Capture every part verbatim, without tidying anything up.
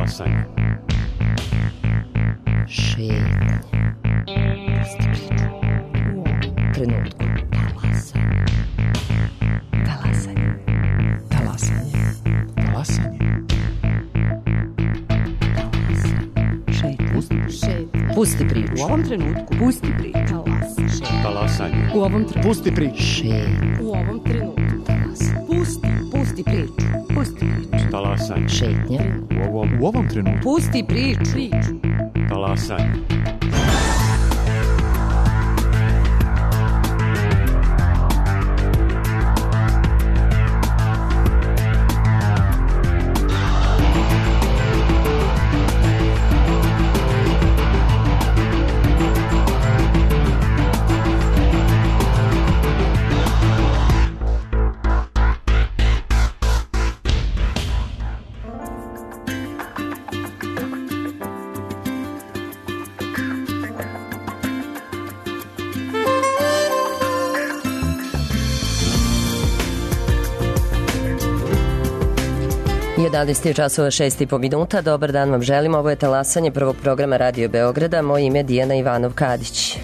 Talasanje. Šetnje. Pusti priču. U trenutku. Talasanje. Talasanje. Talasanje. Talasanje. Šetnje. Pusti. Šetnje. Pusti priču. U ovom trenutku. Pusti priču. Talasanje. Talasanje. U ovom trenutku. Pusti priču. Šetnje. U ovom trenutku. Talasanje. Pusti. Pusti priču. Pusti priču. Talasanje. Šetnje. U ovom, U ovom trenutku. Pusti priču. Priču. talasanje. jedanaest časova šest i po minuta. Dobar dan vam želim. Ovo je talasanje prvog programa Radio Beograda. Moje ime je Dijana Ivanov-Kadić.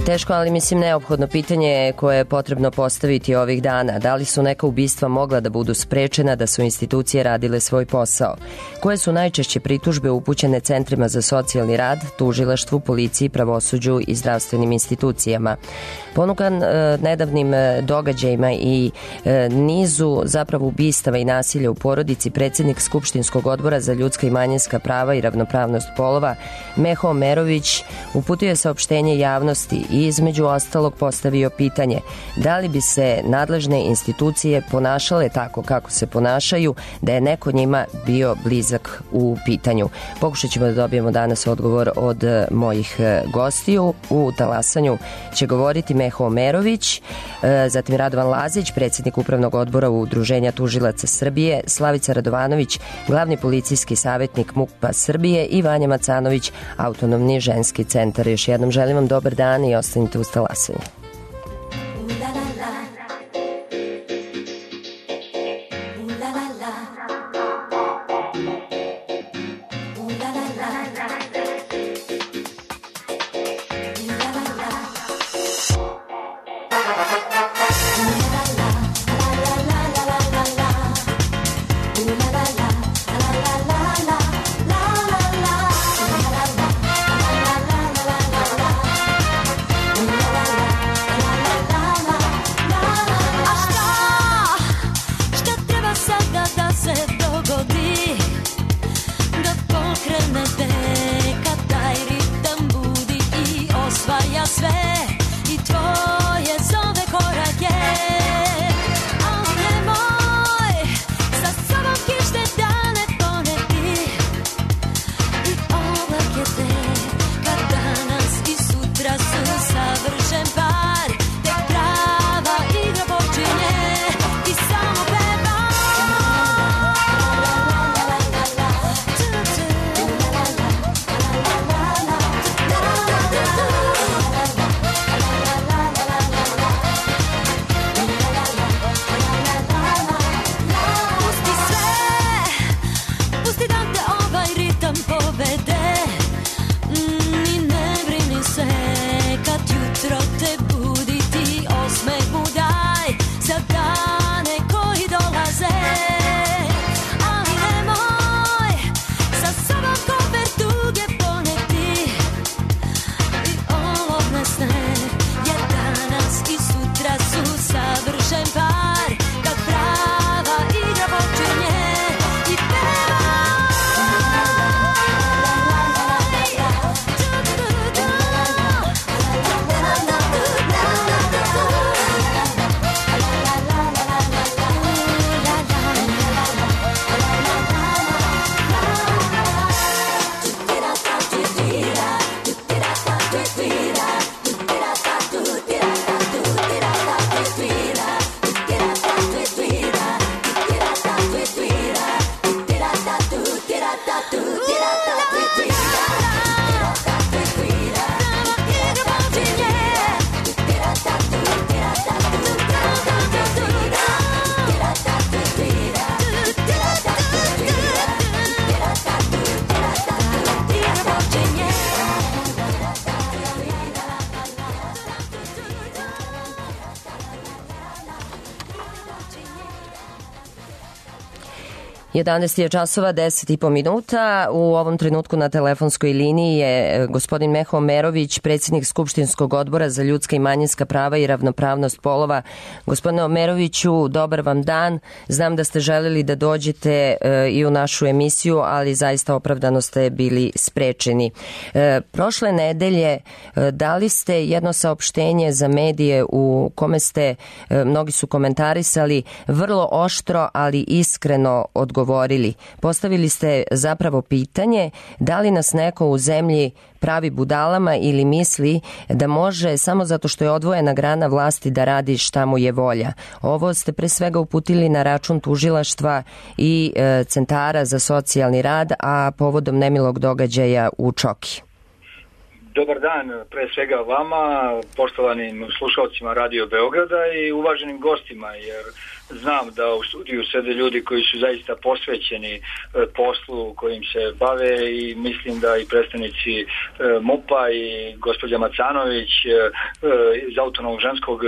Teško, ali mislim neophodno pitanje koje je potrebno postaviti ovih dana. Da li su neka ubistva mogla da budu sprečena da su institucije radile svoj posao? Koje su najčešće pritužbe upućene centrima za socijalni rad, tužilaštvu, policiji, pravosuđu i zdravstvenim institucijama? Ponukan e, nedavnim događajima i e, nizu zapravo ubistava i nasilja u porodici, predsjednik Skupštinskog odbora za ljudska i manjinska prava i ravnopravnost polova Meho Omerović uputio je saopštenje javnosti i između ostalog postavio pitanje da li bi se nadležne institucije ponašale tako kako se ponašaju da je neko njima bio blizak u pitanju. Pokušat ćemo da dobijemo danas odgovor od mojih gostiju. U talasanju će govoriti Meho Omerović, zatim Radovan Lazić, predsjednik Upravnog odbora Udruženja tužilaca Srbije, Slavica Radovanović, glavni policijski savjetnik MUP-a Srbije i Vanja Macanović, autonomni ženski centar. Još jednom želim vam dobar dan i ostanite uz talasanje. Sve i tvoje zove korake. jedanaest je časova, deset i po minuta. U ovom trenutku na telefonskoj liniji je gospodin Meho Omerović, predsjednik Skupštinskog odbora za ljudska i manjinska prava i ravnopravnost polova. Gospodine Omeroviću, dobar vam dan. Znam da ste želeli da dođete e, i u našu emisiju, ali zaista opravdano ste bili sprečeni. E, prošle nedelje e, dali ste jedno saopštenje za medije u kome ste, e, mnogi su komentarisali, vrlo oštro, ali iskreno odgovorili. Govorili. Postavili ste zapravo pitanje da li nas neko u zemlji pravi budalama ili misli da može samo zato što je odvojena grana vlasti da radi šta mu je volja. Ovo ste pre svega uputili na račun tužilaštva i e, centara za socijalni rad, a povodom nemilog događaja u Čoki. Dobar dan, pre svega vama, poštovanim slušalcima Radio Beograda i uvaženim gostima, jer znam da u studiju sede ljudi koji su zaista posvećeni poslu kojim se bave i mislim da i predstavnici M U P-a i gospođa Macanović iz Autonomnog ženskog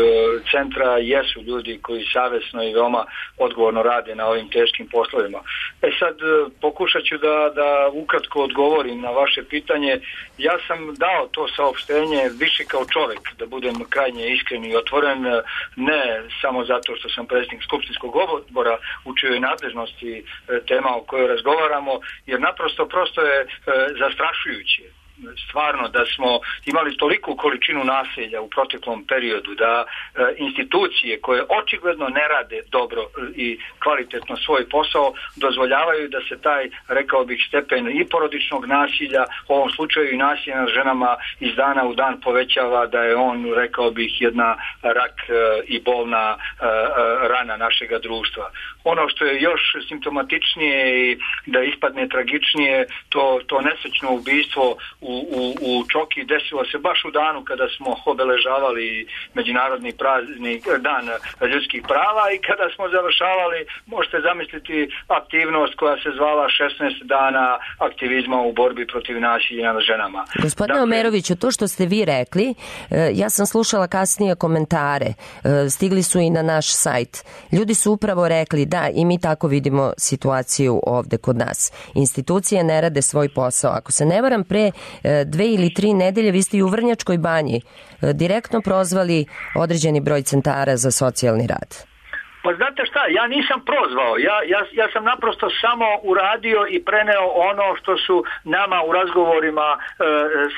centra jesu ljudi koji savesno i veoma odgovorno rade na ovim teškim poslovima. E sad pokušat ću da, da ukratko odgovorim na vaše pitanje. Ja sam dao to saopštenje više kao čovjek, da budem krajnje iskren i otvoren, ne samo zato što sam predsjednik Skupštinskog odbora u čijoj nadležnosti tema o kojoj razgovaramo, jer naprosto prosto je e, zastrašujuće. Stvarno da smo imali toliku količinu nasilja u proteklom periodu da e, institucije koje očigledno ne rade dobro i kvalitetno svoj posao dozvoljavaju da se taj, rekao bih, stepen i porodičnog nasilja, u ovom slučaju i nasilja nad ženama iz dana u dan povećava, da je on, rekao bih, jedna rak e, i bolna e, e, rana našega društva. Ono što je još simptomatičnije i da ispadne tragičnije, to, to nesrećno ubistvo u U, u Čoki desilo se baš u danu kada smo obeležavali Međunarodni praznik, dan ljudskih prava i kada smo završavali, možete zamisliti, aktivnost koja se zvala šesnaest dana aktivizma u borbi protiv nasilja nad ženama. Gospodine dakle, Omeroviću, to što ste vi rekli, ja sam slušala kasnije komentare, stigli su i na naš sajt. Ljudi su upravo rekli da i mi tako vidimo situaciju ovde kod nas. Institucije ne rade svoj posao. Ako se ne varam, pre dve ili tri nedelje vi ste i u Vrnjačkoj banji direktno prozvali određeni broj centara za socijalni rad. Pa znate šta, ja nisam prozvao, ja, ja, ja sam naprosto samo uradio i preneo ono što su nama u razgovorima e,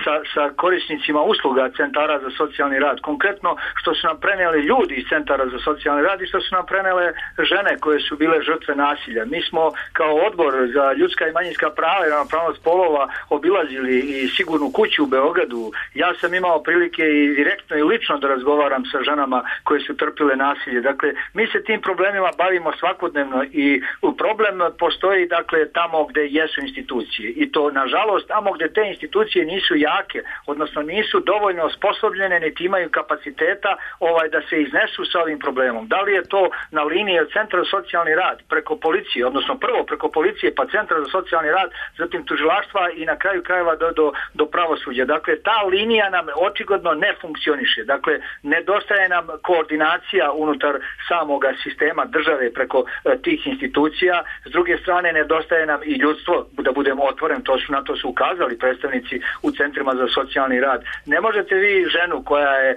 sa, sa korisnicima usluga centara za socijalni rad, konkretno što su nam preneli ljudi iz centara za socijalni rad i što su nam prenele žene koje su bile žrtve nasilja. Mi smo kao odbor za ljudska i manjinska prava i ravnopravnost polova obilazili i Sigurnu kuću u Beogradu. Ja sam imao prilike i direktno i lično da razgovaram sa ženama koje su trpile nasilje. Dakle, mi se tim problemima bavimo svakodnevno i problem postoji, dakle, tamo gde jesu institucije i to nažalost tamo gde te institucije nisu jake, odnosno nisu dovoljno osposobljene niti imaju kapaciteta ovaj da se iznesu sa ovim problemom. Da li je to na liniji od centra za socijalni rad preko policije, odnosno prvo preko policije pa centra za socijalni rad, zatim tužilaštva i na kraju krajeva do, do, do pravosuđa. Dakle, ta linija nam očigledno ne funkcioniše. Dakle, nedostaje nam koordinacija unutar samoga sistema države preko e, tih institucija. S druge strane, nedostaje nam i ljudstvo, da budemo otvoren, to su, na to su ukazali predstavnici u centrima za socijalni rad. Ne možete vi ženu koja je e,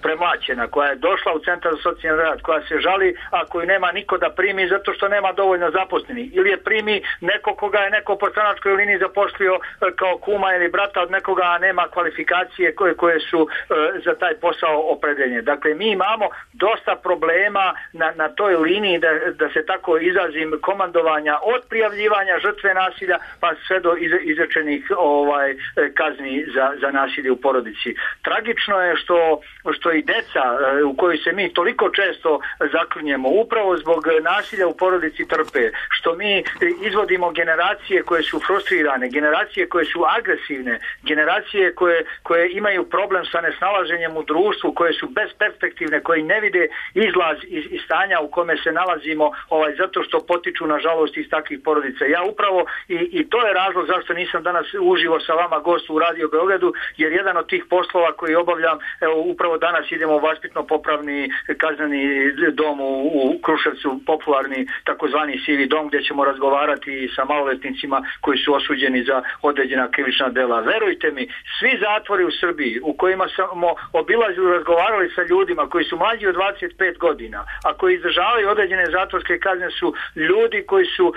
premlaćena, koja je došla u centar za socijalni rad, koja se žali, a koju nema niko da primi zato što nema dovoljno zaposleni, ili je primi neko koga je neko po stranačkoj liniji zaposlio e, kao kuma ili brata od nekoga, a nema kvalifikacije koje, koje su e, za taj posao opredeljene. Dakle, mi imamo dosta problema na, na toj liniji, da, da se tako izrazim, komandovanja od prijavljivanja žrtve nasilja pa sve do iz, izrečenih ovaj, kazni za, za nasilje u porodici. Tragično je što, što i deca u kojoj se mi toliko često zaklinjemo upravo zbog nasilja u porodici trpe, što mi izvodimo generacije koje su frustrirane, generacije koje su agresivne, generacije koje, koje imaju problem sa nesnalaženjem u društvu, koje su besperspektivne, koje ne vide izlaz iz, iz stanja u kome se nalazimo ovaj, zato što potiču nažalost iz takvih porodica. Ja upravo i, i to je razlog zašto nisam danas uživo sa vama gost u Radio Beogradu, jer jedan od tih poslova koji obavljam, evo upravo danas idemo u vaspitno popravni kazneni dom u, u Kruševcu, popularni takozvani sivi dom, gdje ćemo razgovarati sa maloletnicima koji su osuđeni za određena krivična dela. Verujte mi, svi zatvori u Srbiji u kojima smo obilazili, razgovarali sa ljudima koji su mlađi od dvadeset pet godina, a koji izdržavaju određene zatvorske kazne, su ljudi koji su uh,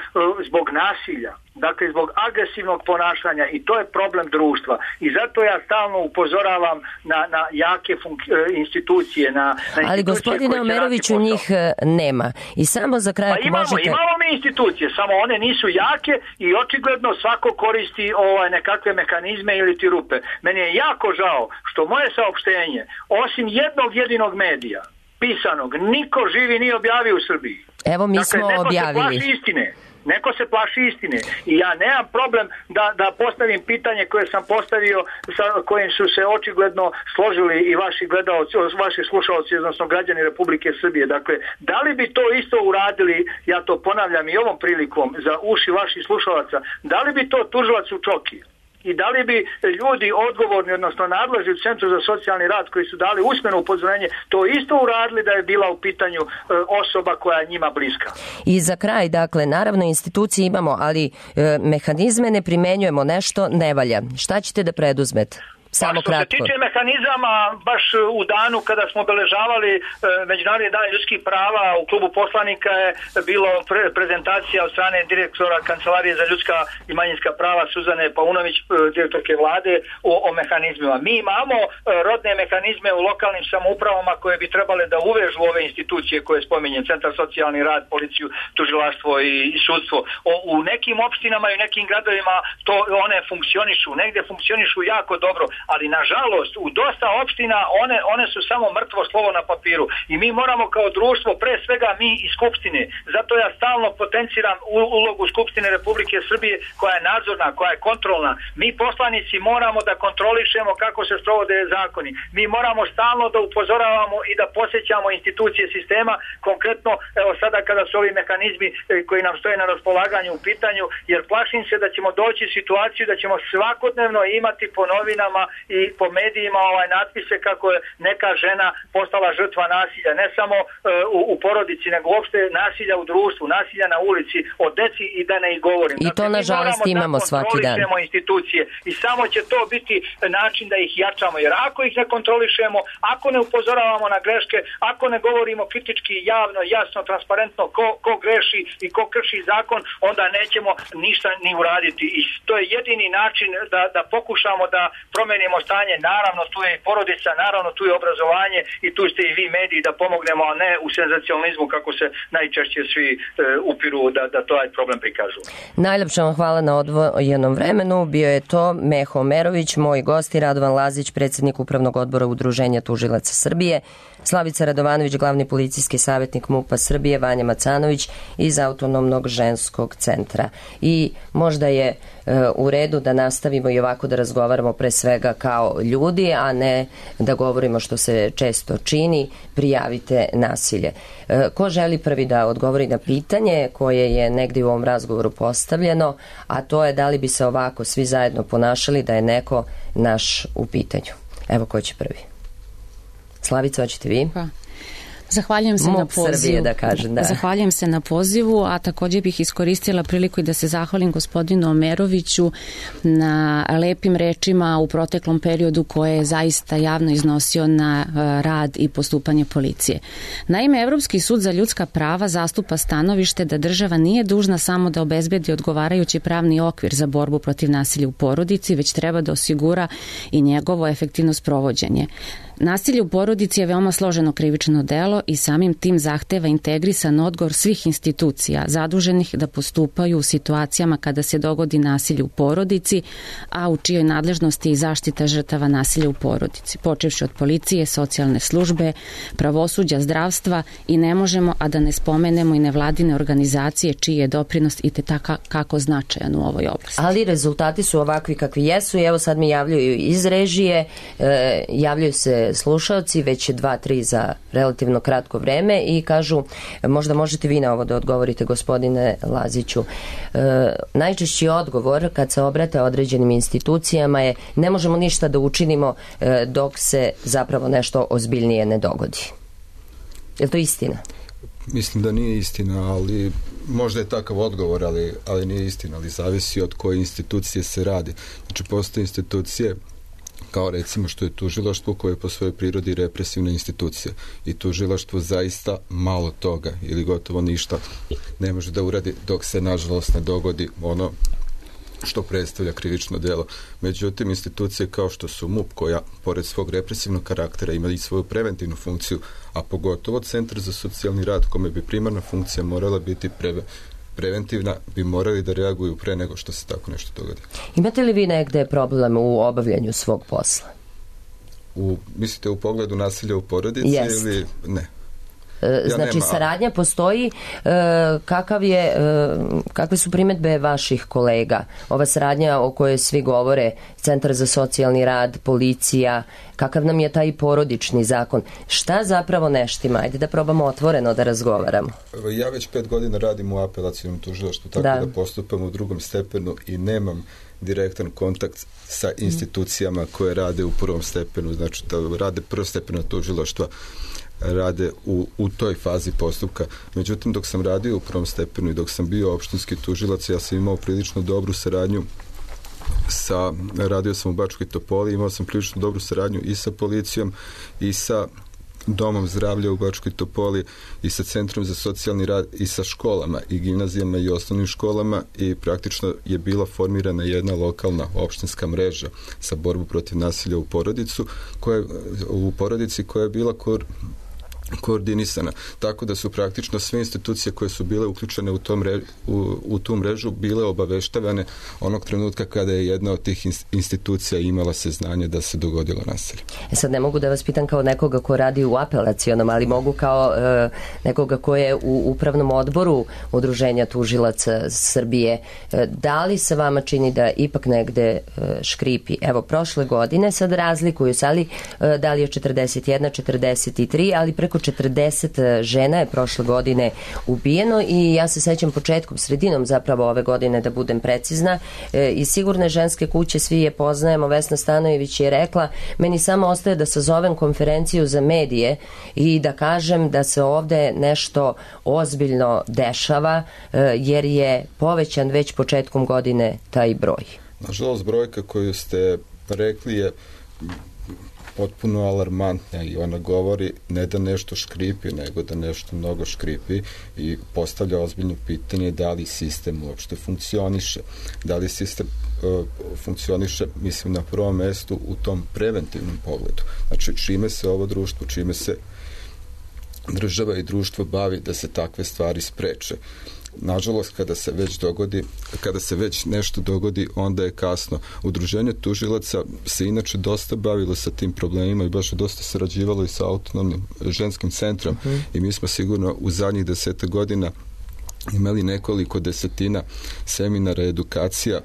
zbog nasilja, dakle zbog agresivnog ponašanja, i to je problem društva. I zato ja stalno upozoravam na, na jake funk- institucije, na, na institucije. Ali gospodine Omeroviću, njih nema. I samo za kraj, pa imamo, možete... imamo mi institucije, samo one nisu jake i očigledno svako koristi ovaj nekakve mehanizme ili ti rupe. Meni je jako žao što moje saopštenje, osim jednog jedinog medija, pisanog, niko živi nije objavio u Srbiji. Evo mi dakle, smo neko objavili. Se plaši istine. Neko se plaši istine i ja nemam problem da, da postavim pitanje koje sam postavio, sa kojim su se očigledno složili i vaši gledalci, vaši slušalci, odnosno građani Republike Srbije. Dakle, da li bi to isto uradili, ja to ponavljam i ovom prilikom za uši vaših slušalaca, da li bi to tužilac u Čoki i da li bi ljudi odgovorni, odnosno nadležni u Centru za socijalni rad koji su dali usmeno upozorenje, to isto uradili da je bila u pitanju e, osoba koja je njima bliska. I za kraj, dakle, naravno institucije imamo, ali e, mehanizme ne primenjujemo, nešto ne valja. Šta ćete da preduzmete? Samo što kratko. Se tiče mehanizama, baš u danu kada smo obeležavali e, Međunarodni dan ljudskih prava, u klubu poslanika je bilo pre, prezentacija od strane direktora Kancelarije za ljudska i manjinska prava Suzane Paunović, e, direktorke vlade, o, o mehanizmima. Mi imamo e, rodne mehanizme u lokalnim samoupravama koje bi trebale da uvežu ove institucije koje spominjem, Centar socijalni rad, policiju, tužilaštvo i, i sudstvo. O, u nekim opštinama i u nekim gradovima to one funkcionišu, negde funkcionišu jako dobro, ali nažalost u dosta opština one, one su samo mrtvo slovo na papiru i mi moramo kao društvo, pre svega mi iz Skupštine, zato ja stalno potenciram ulogu Skupštine Republike Srbije koja je nadzorna, koja je kontrolna. Mi poslanici moramo da kontrolišemo kako se sprovode zakoni. Mi moramo stalno da upozoravamo i da posjećamo institucije sistema, konkretno evo sada kada su ovi mehanizmi koji nam stoje na raspolaganju u pitanju, jer plašim se da ćemo doći u situaciju da ćemo svakodnevno imati po novinama i po medijima ovaj natpise kako je neka žena postala žrtva nasilja, ne samo uh, u, u porodici, nego uopšte nasilja u društvu, nasilja na ulici, o deci i da ne ih govorim. I to, dakle, nažalost, imamo da svaki dan. Institucije i samo će to biti način da ih jačamo, jer ako ih ne kontrolišemo, ako ne upozoravamo na greške, ako ne govorimo kritički, javno, jasno, transparentno ko, ko greši i ko krši zakon, onda nećemo ništa ni uraditi. I to je jedini način da, da pokušamo da promenimo stanje. Naravno tu je i porodica, naravno tu je obrazovanje i tu ste i vi mediji da pomognemo, a ne u senzacionalizmu kako se najčešće svi e, upiru da, da to je problem prikažu. Najljepša vam hvala na odvojenom vremenu. Bio je to Meho Omerović, moj gost, i Radovan Lazić, predsjednik Upravnog odbora Udruženja tužilaca Srbije, Slavica Radovanović, glavni policijski savjetnik MUP-a Srbije, Vanja Macanović iz Autonomnog ženskog centra. I možda je e, u redu da nastavimo i ovako da razgovaramo pre svega kao ljudi, a ne da govorimo što se često čini, prijavite nasilje. E, ko želi prvi da odgovori na pitanje koje je negdje u ovom razgovoru postavljeno, a to je da li bi se ovako svi zajedno ponašali da je neko naš u pitanju. Evo ko će prvi. Slavica, hoćete vi? Pa. Zahvaljujem se M U P na pozivu. Srbije, da kažem, da. Zahvaljujem se na pozivu, a također bih iskoristila priliku i da se zahvalim gospodinu Omeroviću na lepim rečima u proteklom periodu koje je zaista javno iznosio na rad i postupanje policije. Naime, Evropski sud za ljudska prava zastupa stanovište da država nije dužna samo da obezbedi odgovarajući pravni okvir za borbu protiv nasilja u porodici, već treba da osigura i njegovo efektivno sprovođenje. Nasilje u porodici je veoma složeno krivično delo i samim tim zahteva integrisan odgovor svih institucija zaduženih da postupaju u situacijama kada se dogodi nasilje u porodici, a u čijoj nadležnosti je i zaštita žrtava nasilja u porodici, počevši od policije, socijalne službe, pravosuđa, zdravstva, i ne možemo a da ne spomenemo i nevladine organizacije čiji je doprinos i te tako kako značajan u ovoj oblasti. Ali rezultati su ovakvi kakvi jesu i evo sad mi javljaju iz režije, e, javljaju se dakle slušaoci, već dva, tri za relativno kratko vreme i kažu, možda možete vi na ovo da odgovorite, gospodine Laziću. E, najčešći odgovor kad se obrate određenim institucijama je ne možemo ništa da učinimo e, dok se zapravo nešto ozbiljnije ne dogodi. Je li to istina? Mislim da nije istina, ali možda je takav odgovor, ali, ali nije istina, ali zavisi od koje institucije se radi. Znači, postoje institucije kao recimo što je tužilaštvo koje je po svojoj prirodi represivna institucija i tužilaštvo zaista malo toga ili gotovo ništa ne može da uradi dok se nažalost ne dogodi ono što predstavlja krivično djelo. Međutim, institucije kao što su M U P, koja pored svog represivnog karaktera ima i svoju preventivnu funkciju, a pogotovo Centar za socijalni rad, kome bi primarna funkcija morala biti pre, preventivna, bi morali da reaguju pre nego što se tako nešto dogodi. Imate li vi negde problem u obavljanju svog posla? U, mislite u pogledu nasilja u porodici Jest. ili ne? Ja znači nema, saradnja postoji, kakav je, kakve su primetbe vaših kolega? Ova saradnja o kojoj svi govore, Centar za socijalni rad, policija, kakav nam je taj porodični zakon? Šta zapravo neštima? Ajde da probamo otvoreno da razgovaramo. Ja već pet godina radim u apelacijnom tužilaštvu, tako da, da postupam u drugom stepenu i nemam direktan kontakt sa institucijama koje rade u prvom stepenu, znači da rade prvostepena tužilaštva rade u, u toj fazi postupka. Međutim, dok sam radio u prvom stepenu i dok sam bio opštinski tužilac, ja sam imao prilično dobru saradnju sa, radio sam u Bačkoj Topoli, imao sam prilično dobru saradnju i sa policijom i sa domom zdravlja u Bačkoj Topoli i sa Centrom za socijalni rad i sa školama i gimnazijama i osnovnim školama i praktično je bila formirana jedna lokalna opštinska mreža sa borbu protiv nasilja u porodicu, koja, u porodici koja je bila kor koordinisana. Tako da su praktično sve institucije koje su bile uključene u, tom re, u, u tu mrežu bile obaveštavane onog trenutka kada je jedna od tih institucija imala saznanje da se dogodilo nasilje. E sad ne mogu da vas pitam kao nekoga ko radi u apelacionom, ali mogu kao e, nekoga ko je u upravnom odboru Udruženja tužilaca Srbije. E, da li se vama čini da ipak negde e, škripi? Evo, prošle godine sad razlikuju se, ali e, da li je četrdeset jedna, četrdeset tri, ali preko četrdeset žena je prošle godine ubijeno i ja se sećam početkom, sredinom zapravo ove godine, da budem precizna, e, i Sigurne ženske kuće, svi je poznajemo, Vesna Stanojević je rekla, meni samo ostaje da sazovem konferenciju za medije i da kažem da se ovde nešto ozbiljno dešava, e, jer je povećan već početkom godine taj broj. Nažalost, brojka koju ste rekli je potpuno alarmantna i ona govori ne da nešto škripi, nego da nešto mnogo škripi i postavlja ozbiljno pitanje da li sistem uopšte funkcioniše. Da li sistem uh, funkcioniše, mislim, na prvom mestu u tom preventivnom pogledu. Znači, čime se ovo društvo, čime se država i društvo bavi da se takve stvari spreče. Nažalost, kada se već dogodi, kada se već nešto dogodi, onda je kasno. Udruženje tužilaca se inače dosta bavilo sa tim problemima i baš je dosta sarađivalo i sa autonomnim ženskim centrom uh-huh. i mi smo sigurno u zadnjih deseta godina imali nekoliko desetina seminara, edukacija,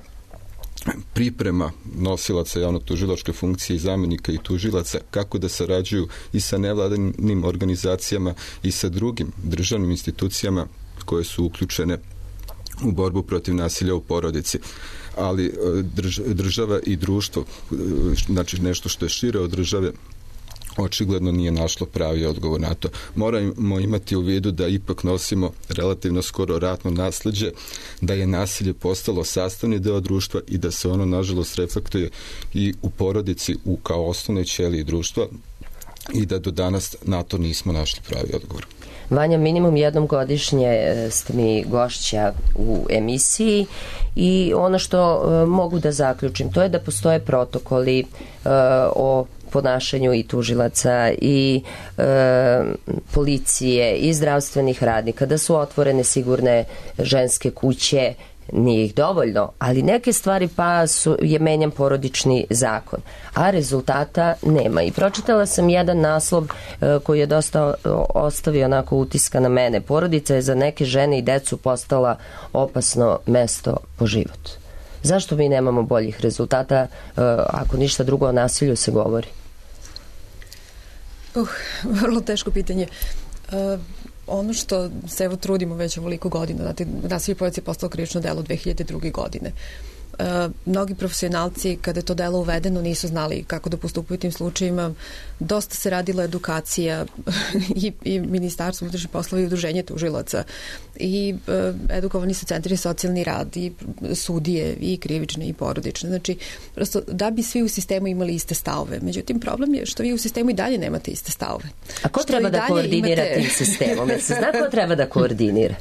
priprema nosilaca javno-tužilačke funkcije i zamjenika i tužilaca kako da sarađuju i sa nevladinim organizacijama i sa drugim državnim institucijama koje su uključene u borbu protiv nasilja u porodici. Ali država i društvo, znači nešto što je šire od države, očigledno nije našlo pravi odgovor na to. Moramo imati u vidu da ipak nosimo relativno skoro ratno nasleđe, da je nasilje postalo sastavni deo društva i da se ono, nažalost, reflektuje i u porodici u kao osnovnoj ćeliji društva i da do danas na to nismo našli pravi odgovor. Vanja, minimum jednom godišnje ste mi gošća u emisiji i ono što uh, mogu da zaključim, to je da postoje protokoli uh, o ponašanju i tužilaca i e, policije i zdravstvenih radnika, da su otvorene sigurne ženske kuće, nije ih dovoljno, ali neke stvari pa su, je menjan porodični zakon, a rezultata nema. I pročitala sam jedan naslov e, koji je dosta ostavio onako utiska na mene. Porodica je za neke žene i decu postala opasno mesto po život. Zašto mi nemamo boljih rezultata, e, ako ništa drugo o nasilju se govori? Uh, vrlo teško pitanje. Uh, ono što se evo trudimo već ovoliko godina, znate, nasilje u porodici je postalo krivično delo dve hiljade druge. godine. Uh, mnogi profesionalci kada je to delo uvedeno nisu znali kako da postupaju u tim slučajima. Dosta se radila edukacija i, i Ministarstvo unutrašnjih poslova i udruženje tužilaca i uh, edukovani su centri socijalni rad i sudije i krivične i porodične. Znači, prosto da bi svi u sistemu imali iste stavove. Međutim, problem je što vi u sistemu i dalje nemate iste stavove. A ko što treba da koordinira imate... tim sistemom? Jer se zna ko treba da koordinira?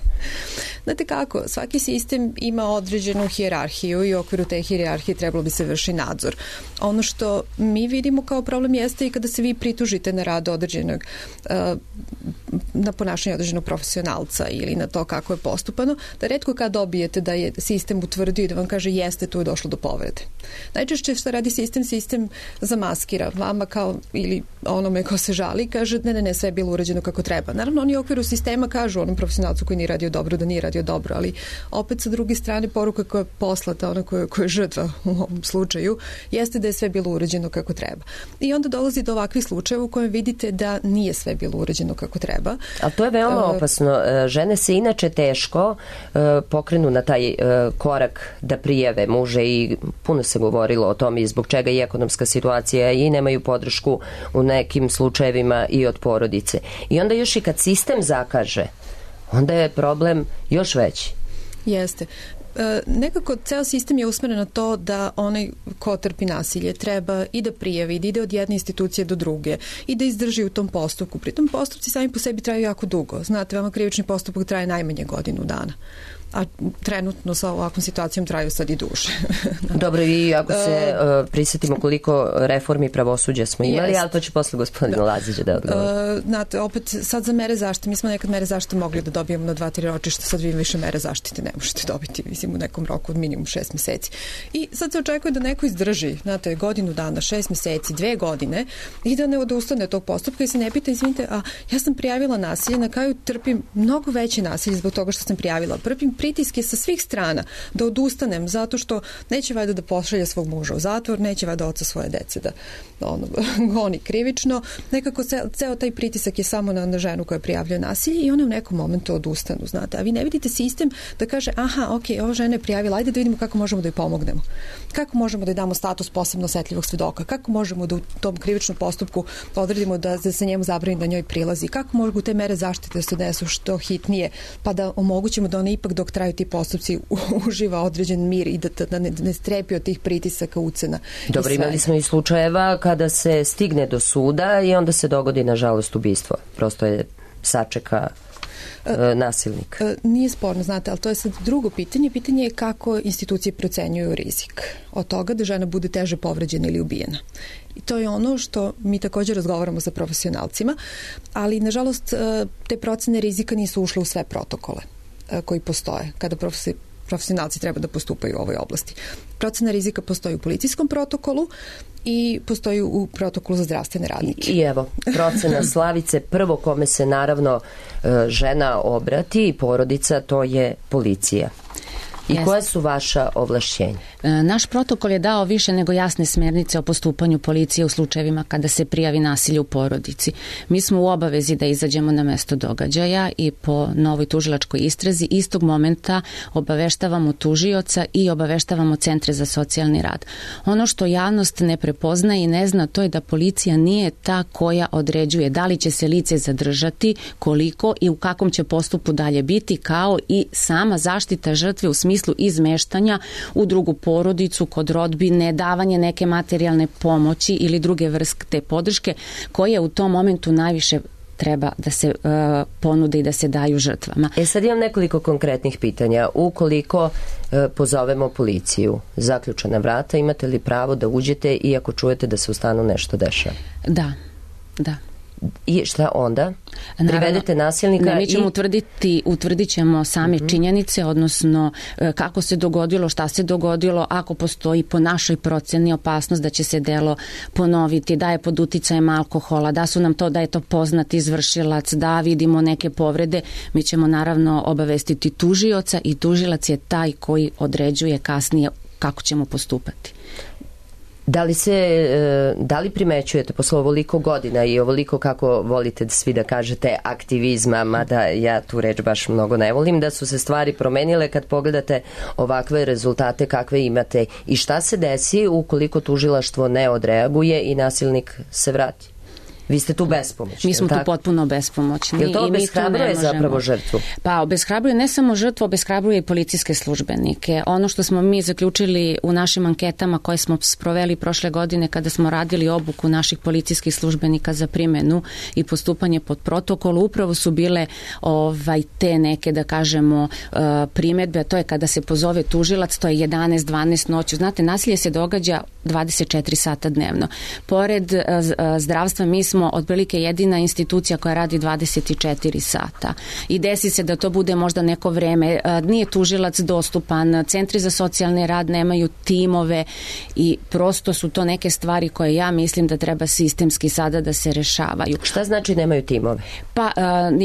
Znate kako, svaki sistem ima određenu hijerarhiju i u okviru te hijerarhije trebalo bi se vrši nadzor. Ono što mi vidimo kao problem jeste i kada se vi pritužite na rad određenog, na ponašanje određenog profesionalca ili na to kako je postupano, da retko kad dobijete da je sistem utvrdio i da vam kaže jeste, tu je došlo do povrede. Najčešće što radi sistem, sistem zamaskira vama kao ili onome ko se žali, kaže ne, ne, ne, sve je bilo urađeno kako treba. Naravno, oni u okviru sistema kažu onom profesionalcu koji nije radio dobro da nije radio dobro, ali opet sa druge strane poruka koja je poslata, ona koja, koja je žrtva u ovom slučaju, jeste da je sve bilo urađeno kako treba. I onda dolazi do ovakvih slučajeva u kojem vidite da nije sve bilo urađeno kako treba. Ali to je veoma opasno. Žene se inače teško pokrenu na taj korak da prijave muže i puno se govorilo o tome i zbog čega i ekonomska situacija i nemaju podršku u nekim slučajevima i od porodice. I onda još i kad sistem zakaže, onda je problem još veći. Jeste. E, nekako ceo sistem je usmeren na to da onaj ko trpi nasilje treba i da prijavi, da ide od jedne institucije do druge i da izdrži u tom postupku. Pritom postupci sami po sebi traju jako dugo. Znate, vama krivični postupak traje najmanje godinu dana. A trenutno sa ovakvom situacijom traju sad i duže. Dobro, i ako se uh, prisjetimo koliko reformi pravosuđa smo imali, jest. Ali to će posle gospodina da. Lazića da odgovori. Uh, znate, opet sad za mere zaštite, mi smo nekad mere zaštite mogli da dobijemo na dva, tri ročišta, sad vi više mere zaštite ne možete dobiti, mislim, u nekom roku od minimum šest meseci. I sad se očekuje da neko izdrži, znate, godinu dana, šest meseci, dve godine i da ne odustane od tog postupka i se ne pita, izvinite, a ja sam prijavila nasilje, na kraju trpim mnogo veće nasilje zbog toga što sam prijavila. Trpim pritiske sa svih strana da odustanem zato što neće valjda da pošalje svog muža u zatvor, neće valjda oca svoje dece da ono, goni krivično. Nekako ceo, ceo taj pritisak je samo na, na ženu koja prijavljuje nasilje i one u nekom momentu odustanu, znate. A vi ne vidite sistem da kaže, aha, ok, ova žena je prijavila, ajde da vidimo kako možemo da joj pomognemo. Kako možemo da joj damo status posebno osetljivog svedoka? Kako možemo da u tom krivičnom postupku odredimo da se njemu zabrani da njoj prilazi? Kako mogu te mere zaštite da se desu što hitnije, pa da omogućimo da ona ipak dok traju ti postupci uživa određen mir i da, da ne, ne strepi od tih pritisaka, ucena. Dobro, imali smo i slučajeva kada se stigne do suda i onda se dogodi, nažalost, ubistvo. Prosto je sačeka e, nasilnik. E, nije sporno, znate, ali to je sad drugo pitanje. Pitanje je kako institucije procenjuju rizik od toga da žena bude teže povređena ili ubijena. I to je ono što mi također razgovaramo sa profesionalcima, ali, nažalost, te procene rizika nisu ušle u sve protokole koji postoje kada profesionalci treba da postupaju u ovoj oblasti. Procena rizika postoji u policijskom protokolu i postoji u protokolu za zdravstvene radnike. I evo, procena Slavice, prvo kome se naravno žena obrati i porodica, to je policija. I Jeste. Koje su vaša ovlašćenja? Naš protokol je dao više nego jasne smernice o postupanju policije u slučajevima kada se prijavi nasilje u porodici. Mi smo u obavezi da izađemo na mesto događaja i po novoj tužilačkoj istrazi istog momenta obaveštavamo tužioca i obaveštavamo centre za socijalni rad. Ono što javnost ne prepoznaje i ne zna, to je da policija nije ta koja određuje da li će se lice zadržati, koliko i u kakvom će postupku dalje biti, kao i sama zaštita žrtve u smislu izmeštanja u drugu porodicu, kod rodbine, davanje neke materijalne pomoći ili druge vrste podrške koje u tom momentu najviše treba da se uh, ponude i da se daju žrtvama. E sad imam nekoliko konkretnih pitanja. Ukoliko uh, pozovemo policiju, zaključana vrata, imate li pravo da uđete iako čujete da se u stanu nešto dešava? Da, da. I šta onda? Privedete nasilnika? Ne, mi ćemo i... utvrditi, utvrdit ćemo same uh-huh. činjenice, odnosno kako se dogodilo, šta se dogodilo, ako postoji po našoj proceni opasnost da će se delo ponoviti, da je pod uticajem alkohola, da su nam to, da je to poznat izvršilac, da vidimo neke povrede, mi ćemo naravno obavestiti tužioca i tužilac je taj koji određuje kasnije kako ćemo postupati. Da li se, da li primećujete posle ovoliko godina i ovoliko, kako volite svi da kažete, aktivizma, mada ja tu reč baš mnogo ne volim, da su se stvari promenile kad pogledate ovakve rezultate kakve imate i šta se desi ukoliko tužilaštvo ne odreaguje i nasilnik se vrati? Vi ste tu bespomoćni. Mi smo tako? tu potpuno bespomoćni. Jel to obeshrabruje zapravo žrtvu? Pa obeshrabruje ne samo žrtvu, obeshrabruje i policijske službenike. Ono što smo mi zaključili u našim anketama koje smo sproveli prošle godine kada smo radili obuku naših policijskih službenika za primenu i postupanje pod protokolu, upravo su bile ovaj, te neke, da kažemo, primedbe, a to je kada se pozove tužilac, to je jedanaest dvanaest noću. Znate, nasilje se događa dvadeset četiri sata dnevno. Pored zdravstva, mi smo otprilike jedina institucija koja radi dvadeset četiri sata. I desi se da to bude možda neko vreme. Nije tužilac dostupan, centri za socijalni rad nemaju timove i prosto su to neke stvari koje ja mislim da treba sistemski sada da se rešavaju. Šta znači nemaju timove? Pa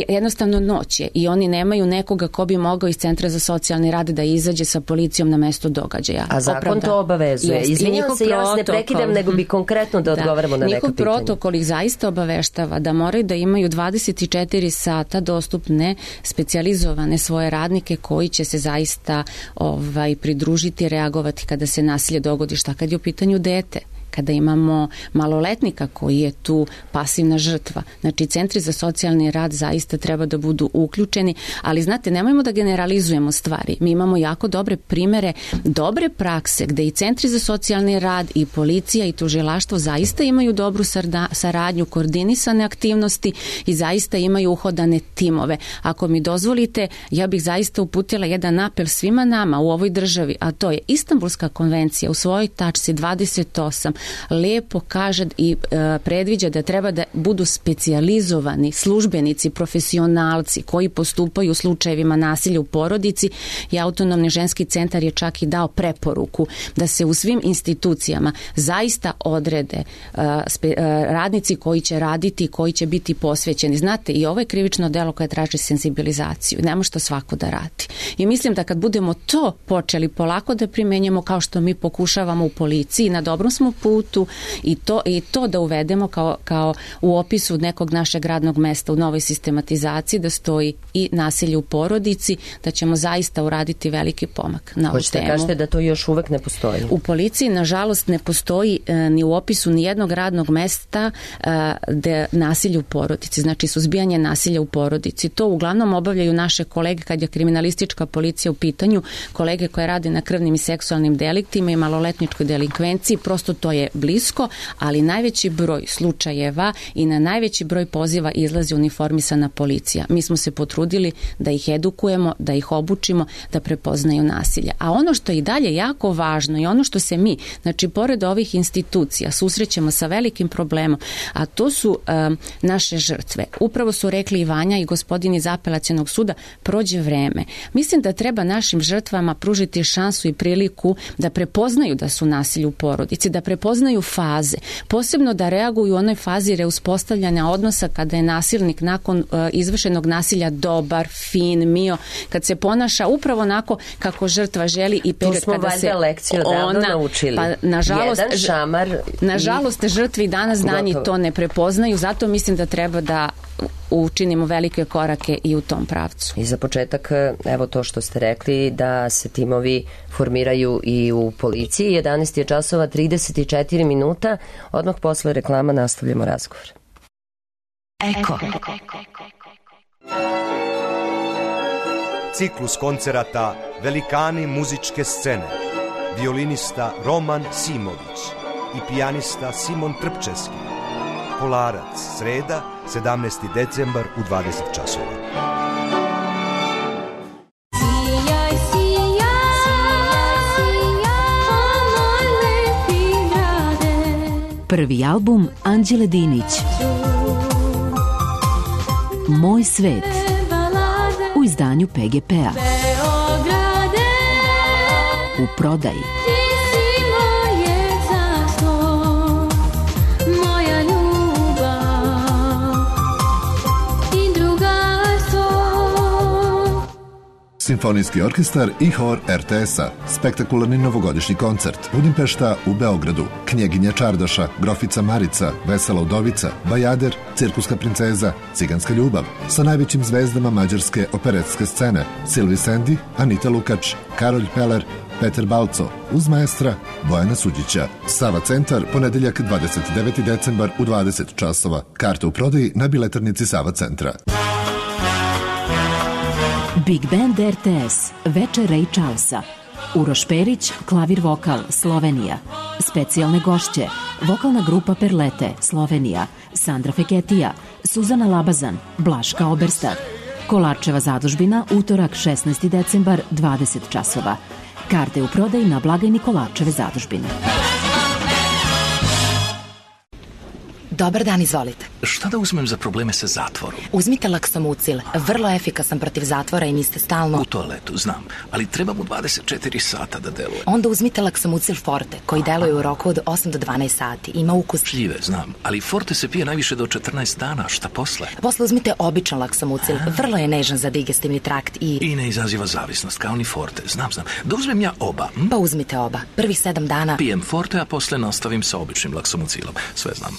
jednostavno noć je i oni nemaju nekoga ko bi mogao iz centra za socijalni rad da izađe sa policijom na mesto događaja. A zakon Opravda. to obavezuje. Izvinjam se, ja vas ne prekidam, nego bi konkretno da odgovaramo da. na neka pitanja. Njihov protokol ih zaista obaveštava da moraju da imaju dvadeset četiri sata dostupne specijalizovane svoje radnike koji će se zaista ovaj, pridružiti, reagovati kada se nasilje dogodi. Šta kad je u pitanju dete? Kada imamo maloletnika koji je tu pasivna žrtva. Znači, centri za socijalni rad zaista treba da budu uključeni, ali znate, nemojmo da generalizujemo stvari. Mi imamo jako dobre primere, dobre prakse gde i centri za socijalni rad i policija i tužilaštvo zaista imaju dobru saradnju, koordinisane aktivnosti i zaista imaju uhodane timove. Ako mi dozvolite, ja bih zaista uputila jedan apel svima nama u ovoj državi, a to je Istanbulska konvencija u svojoj tačci dvadeset osam lepo kaže i e, predviđa da treba da budu specijalizovani službenici, profesionalci koji postupaju u slučajevima nasilja u porodici i Autonomni ženski centar je čak i dao preporuku da se u svim institucijama zaista odrede e, spe, e, radnici koji će raditi, koji će biti posvećeni. Znate, i ovo je krivično delo koje traži senzibilizaciju. Ne može to svako da radi. I mislim da kad budemo to počeli polako da primenjamo kao što mi pokušavamo u policiji, na dobrom smo putu i to, i to da uvedemo kao, kao u opisu nekog našeg radnog mesta u novoj sistematizaciji da stoji i nasilje u porodici, da ćemo zaista uraditi veliki pomak na ovu Hoćete temu. Kažete da to još uvek ne postoji? U policiji, nažalost, ne postoji e, ni u opisu ni jednog radnog mesta e, da nasilje u porodici, znači suzbijanje nasilja u porodici. To uglavnom obavljaju naše kolege kad je kriminalistička policija u pitanju, kolege koje rade na krvnim i seksualnim deliktima i maloletničkoj delikvenciji, prosto to je blisko, ali najveći broj slučajeva i na najveći broj poziva izlazi uniformisana policija. Mi smo se potrudili da ih edukujemo, da ih obučimo, da prepoznaju nasilje. A ono što je i dalje jako važno i ono što se mi, znači pored ovih institucija, susrećemo sa velikim problemom, a to su um, naše žrtve. Upravo su rekli i Vanja i gospodin iz Apelacionog suda, prođe vreme. Mislim da treba našim žrtvama pružiti šansu i priliku da prepoznaju da su nasilje u porodici, da prepoznaju faze, posebno da reaguju u onoj fazi reuspostavljanja odnosa kada je nasilnik nakon uh, izvršenog nasilja dobar, fin, mio, kad se ponaša upravo onako kako žrtva želi i period kada se lekciju ona naučili. Pa nažalost, Jedan šamar nažalost žrtvi danas danji to ne prepoznaju, zato mislim da treba da učinimo velike korake i u tom pravcu. I za početak, evo to što ste rekli, da se timovi formiraju i u policiji. jedanaest je časova trideset četiri minuta. Odmah posle reklama nastavljamo razgovor. Eko. Ciklus koncerata Velikani muzičke scene. Violinista Roman Simović i pijanista Simon Trpčevski. Kolarac, sreda, sedamnaesti decembar u dvadeset časova. Sijaj, sijaj, sijaj, moj lepi grade. Prvi album Anđele Dinić. Moj svet. U izdanju P G P-a. U prodaji. Simfonijski orkestar i hor er te es-a, spektakularni novogodišnji koncert, Budimpešta u Beogradu, Knjeginja Čardaša, Grofica Marica, Vesela udovica, Bajader, Cirkuska princeza, Ciganska ljubav, sa najvećim zvezdama mađarske operetske scene, Silvi Sendi, Anita Lukač, Karolj Peler, Peter Balco, uz maestra Bojana Suđića. Sava centar, ponedeljak dvadeset deveti decembar u dvadeset časova. Karte u prodaji na biletarnici Sava centra. Big Band er te es, Večer Ray Charlesa. Uroš Perić, klavir vokal, Slovenija. Specijalne gošće, vokalna grupa Perlete, Slovenija. Sandra Feketija, Suzana Labazan, Blaška Oberstar. Kolarčeva zadužbina, utorak šesnaesti decembar, dvadeset časova. Karte u prodaji na blagajni Kolarčeve zadužbine. Dobar dan, izvolite. Šta da uzmem za probleme sa zatvorom? Uzmite Laksomucil, vrlo efikasan protiv zatvora i niste stalno... U toaletu, znam, ali treba mu dvadeset četiri sata da deluje. Onda uzmite Laksomucil Forte, koji deluje u roku od osam do dvanaest sati. Ima ukus... Šljive, znam, ali Forte se pije najviše do četrnaest dana, šta posle? Posle uzmite običan Laksomucil, vrlo je nežan za digestivni trakt i... I ne izaziva zavisnost, kao ni Forte, znam, znam. Da uzmem ja oba? Hm? Pa uzmite oba. Prvih sedam dana... Pijem Forte, a posle nastavim sa običnim Laksomucilom. Sve znam.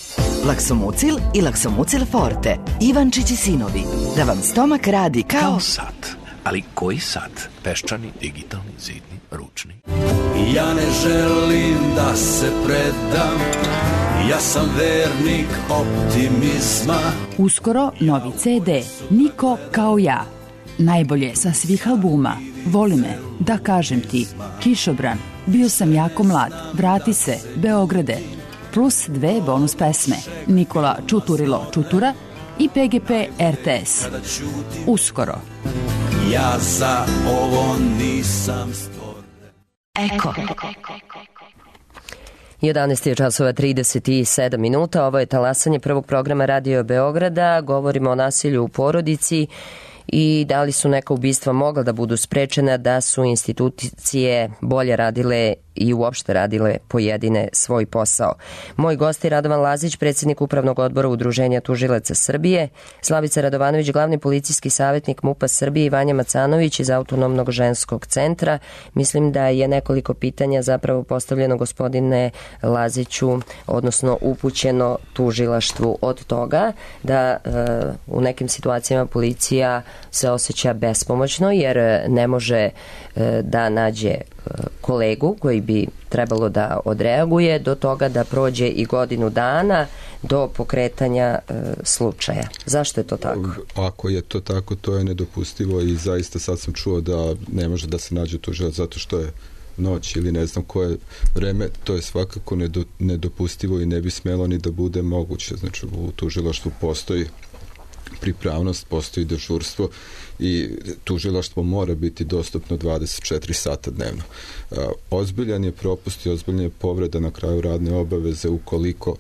Laksomucil i Laksomucil Forte. Ivančić i sinovi. Da vam stomak radi kao... Kao sat. Ali koji sat? Peščani, digitalni, zidni, ručni. Ja ne želim da se predam, ja sam vernik optimizma. Uskoro novi ce de, Niko kao ja. Najbolje sa svih albuma. Voli me, da kažem ti, Kišobran, bio sam jako mlad, vrati se, Beograde. Plus dve bonus pesme, Nikola Čuturilo Čutura i pe ge pe er te es. Uskoro. Ja za ovo nisam stvoren. Eko. jedanaest je časova trideset sedam minuta. Ovo je talasanje prvog programa Radio Beograda. Govorimo o nasilju u porodici i da li su neka ubistva mogla da budu sprečena da su institucije bolje radile i uopšte radile pojedine svoj posao. Moj gost je Radovan Lazić, predsjednik Upravnog odbora Udruženja tužilaca Srbije, Slavica Radovanović, glavni policijski savjetnik MUP-a Srbije i Vanja Macanović iz Autonomnog ženskog centra. Mislim da je nekoliko pitanja zapravo postavljeno gospodine Laziću, odnosno upućeno tužilaštvu, od toga da e, u nekim situacijama policija se osjeća bespomoćno jer ne može e, da nađe kolegu koji bi trebalo da odreaguje, do toga da prođe i godinu dana do pokretanja e, slučaja. Zašto je to tako? Ako je to tako, to je nedopustivo i zaista sad sam čuo da ne može da se nađe tužilac zato što je noć ili ne znam koje vreme, to je svakako nedopustivo i ne bi smelo ni da bude moguće. Znači u tužilaštvu postoji pripravnost, postoji dežurstvo i tužilaštvo mora biti dostupno dvadeset četiri sata dnevno. Ozbiljan je propust i ozbiljan je povreda na kraju radne obaveze ukoliko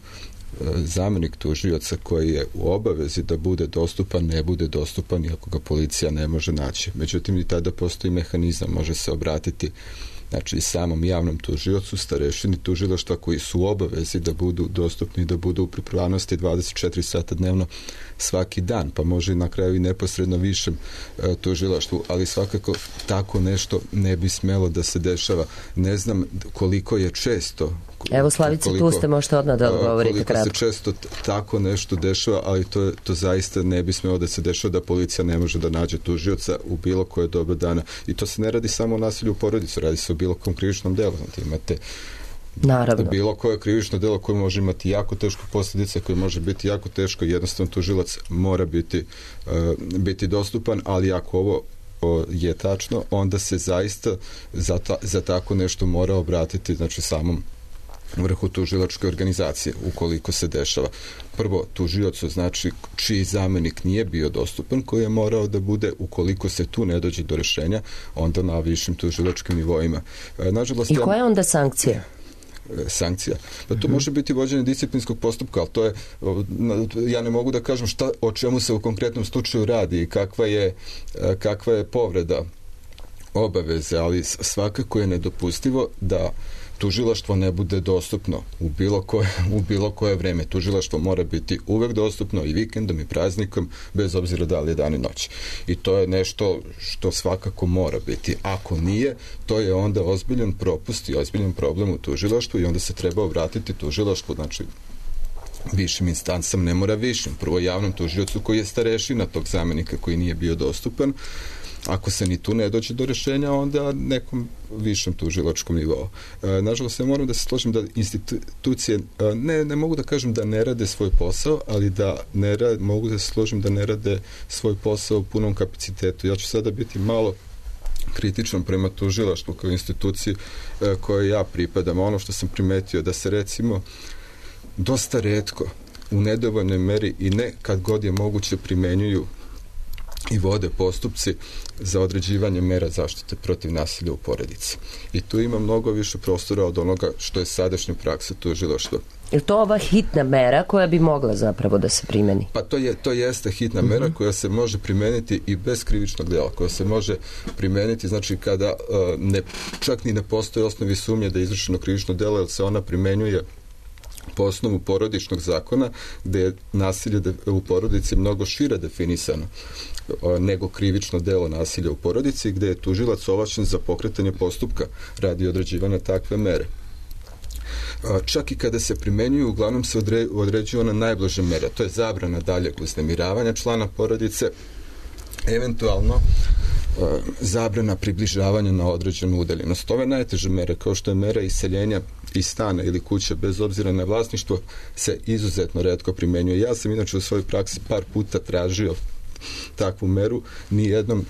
zamenik tužioca koji je u obavezi da bude dostupan, ne bude dostupan iako ga policija ne može naći. Međutim, i tada postoji mehanizam, može se obratiti znači samom javnom tužiocu, starešini tužilaštva koji su u obavezi da budu dostupni, da budu u pripravnosti dvadeset četiri sata dnevno svaki dan, pa može na kraju i neposredno višem e, tužilaštvu, ali svakako tako nešto ne bi smelo da se dešava. Ne znam koliko je često. Evo Slavice, koliko, tu ste, možete odmah da odgovorite koliko kratko. Se često tako nešto dešava, ali to, to zaista ne bi smelo da se dešava, da policija ne može da nađe tužioca u bilo koje doba dana. I to se ne radi samo o nasilju u porodicu, radi se o bilo kom krivičnom delu. Imate Naravno. bilo koje krivično delo koje može imati jako teško posljedice, koje može biti jako teško, jednostavno tužilac mora biti, uh, biti dostupan, ali ako ovo je tačno, onda se zaista za, ta, za tako nešto mora obratiti, znači samom vrhu tužilačke organizacije, ukoliko se dešava. Prvo, tužiocu, znači čiji zamenik nije bio dostupan, koji je morao da bude, ukoliko se tu ne dođe do rešenja, onda na višim tužilačkim nivoima. Nažalost, I koja je onda sankcija? Sankcija. Pa to može biti vođenje disciplinskog postupka, ali to je, ja ne mogu da kažem šta, o čemu se u konkretnom slučaju radi i kakva je, kakva je povreda obaveze, ali svakako je nedopustivo da tužilaštvo ne bude dostupno u bilo koje, u bilo koje vreme. Tužilaštvo mora biti uvek dostupno i vikendom i praznikom, bez obzira da li je dan i noć. I to je nešto što svakako mora biti. Ako nije, to je onda ozbiljan propust i ozbiljan problem u tužilaštvu i onda se treba obratiti tužilaštvu, znači višim instancama, ne mora višim, prvo javnom tužiocu koji je starešina tog zamenika koji nije bio dostupan. Ako se ni tu ne dođe do rešenja, onda nekom višem tužilačkom nivou. E, nažalost, ja moram da se složim da institucije, ne, ne mogu da kažem da ne rade svoj posao, ali da ne rade, mogu da se složim da ne rade svoj posao u punom kapacitetu. Ja ću sada biti malo kritičan prema tužilaštvu kao instituciji e, kojoj ja pripadam. Ono što sam primetio da se recimo dosta retko, u nedovoljnoj meri i ne kad god je moguće primenjuju i vode postupci za određivanje mera zaštite protiv nasilja u porodici. I tu ima mnogo više prostora od onoga što je sadašnja praksa tužilaštva. Je li to ova hitna mera koja bi mogla zapravo da se primeni? Pa to, je, to jeste hitna mera uh-huh. koja se može primeniti i bez krivičnog dela, koja se može primeniti, znači kada uh, ne, čak ni ne postoje osnovi sumnje da je izvršeno krivično delo, jer se ona primenjuje po osnovu porodičnog zakona, gde je nasilje u porodici mnogo šire definisano nego krivično delo nasilja u porodici, gde je tužilac ovlašćen za pokretanje postupka radi određivanja takve mere. Čak i kada se primenjuju, uglavnom se odre, određuje ona najblaža mera, to je zabrana daljeg uznemiravanja člana porodice, eventualno zabrana približavanja na određenu udaljenost. Ove najteže mere, kao što je mera iseljenja iz stana ili kuće, bez obzira na vlasništvo, se izuzetno retko primenjuje. Ja sam inače u svojoj praksi par puta tražio takvu meru, nijednom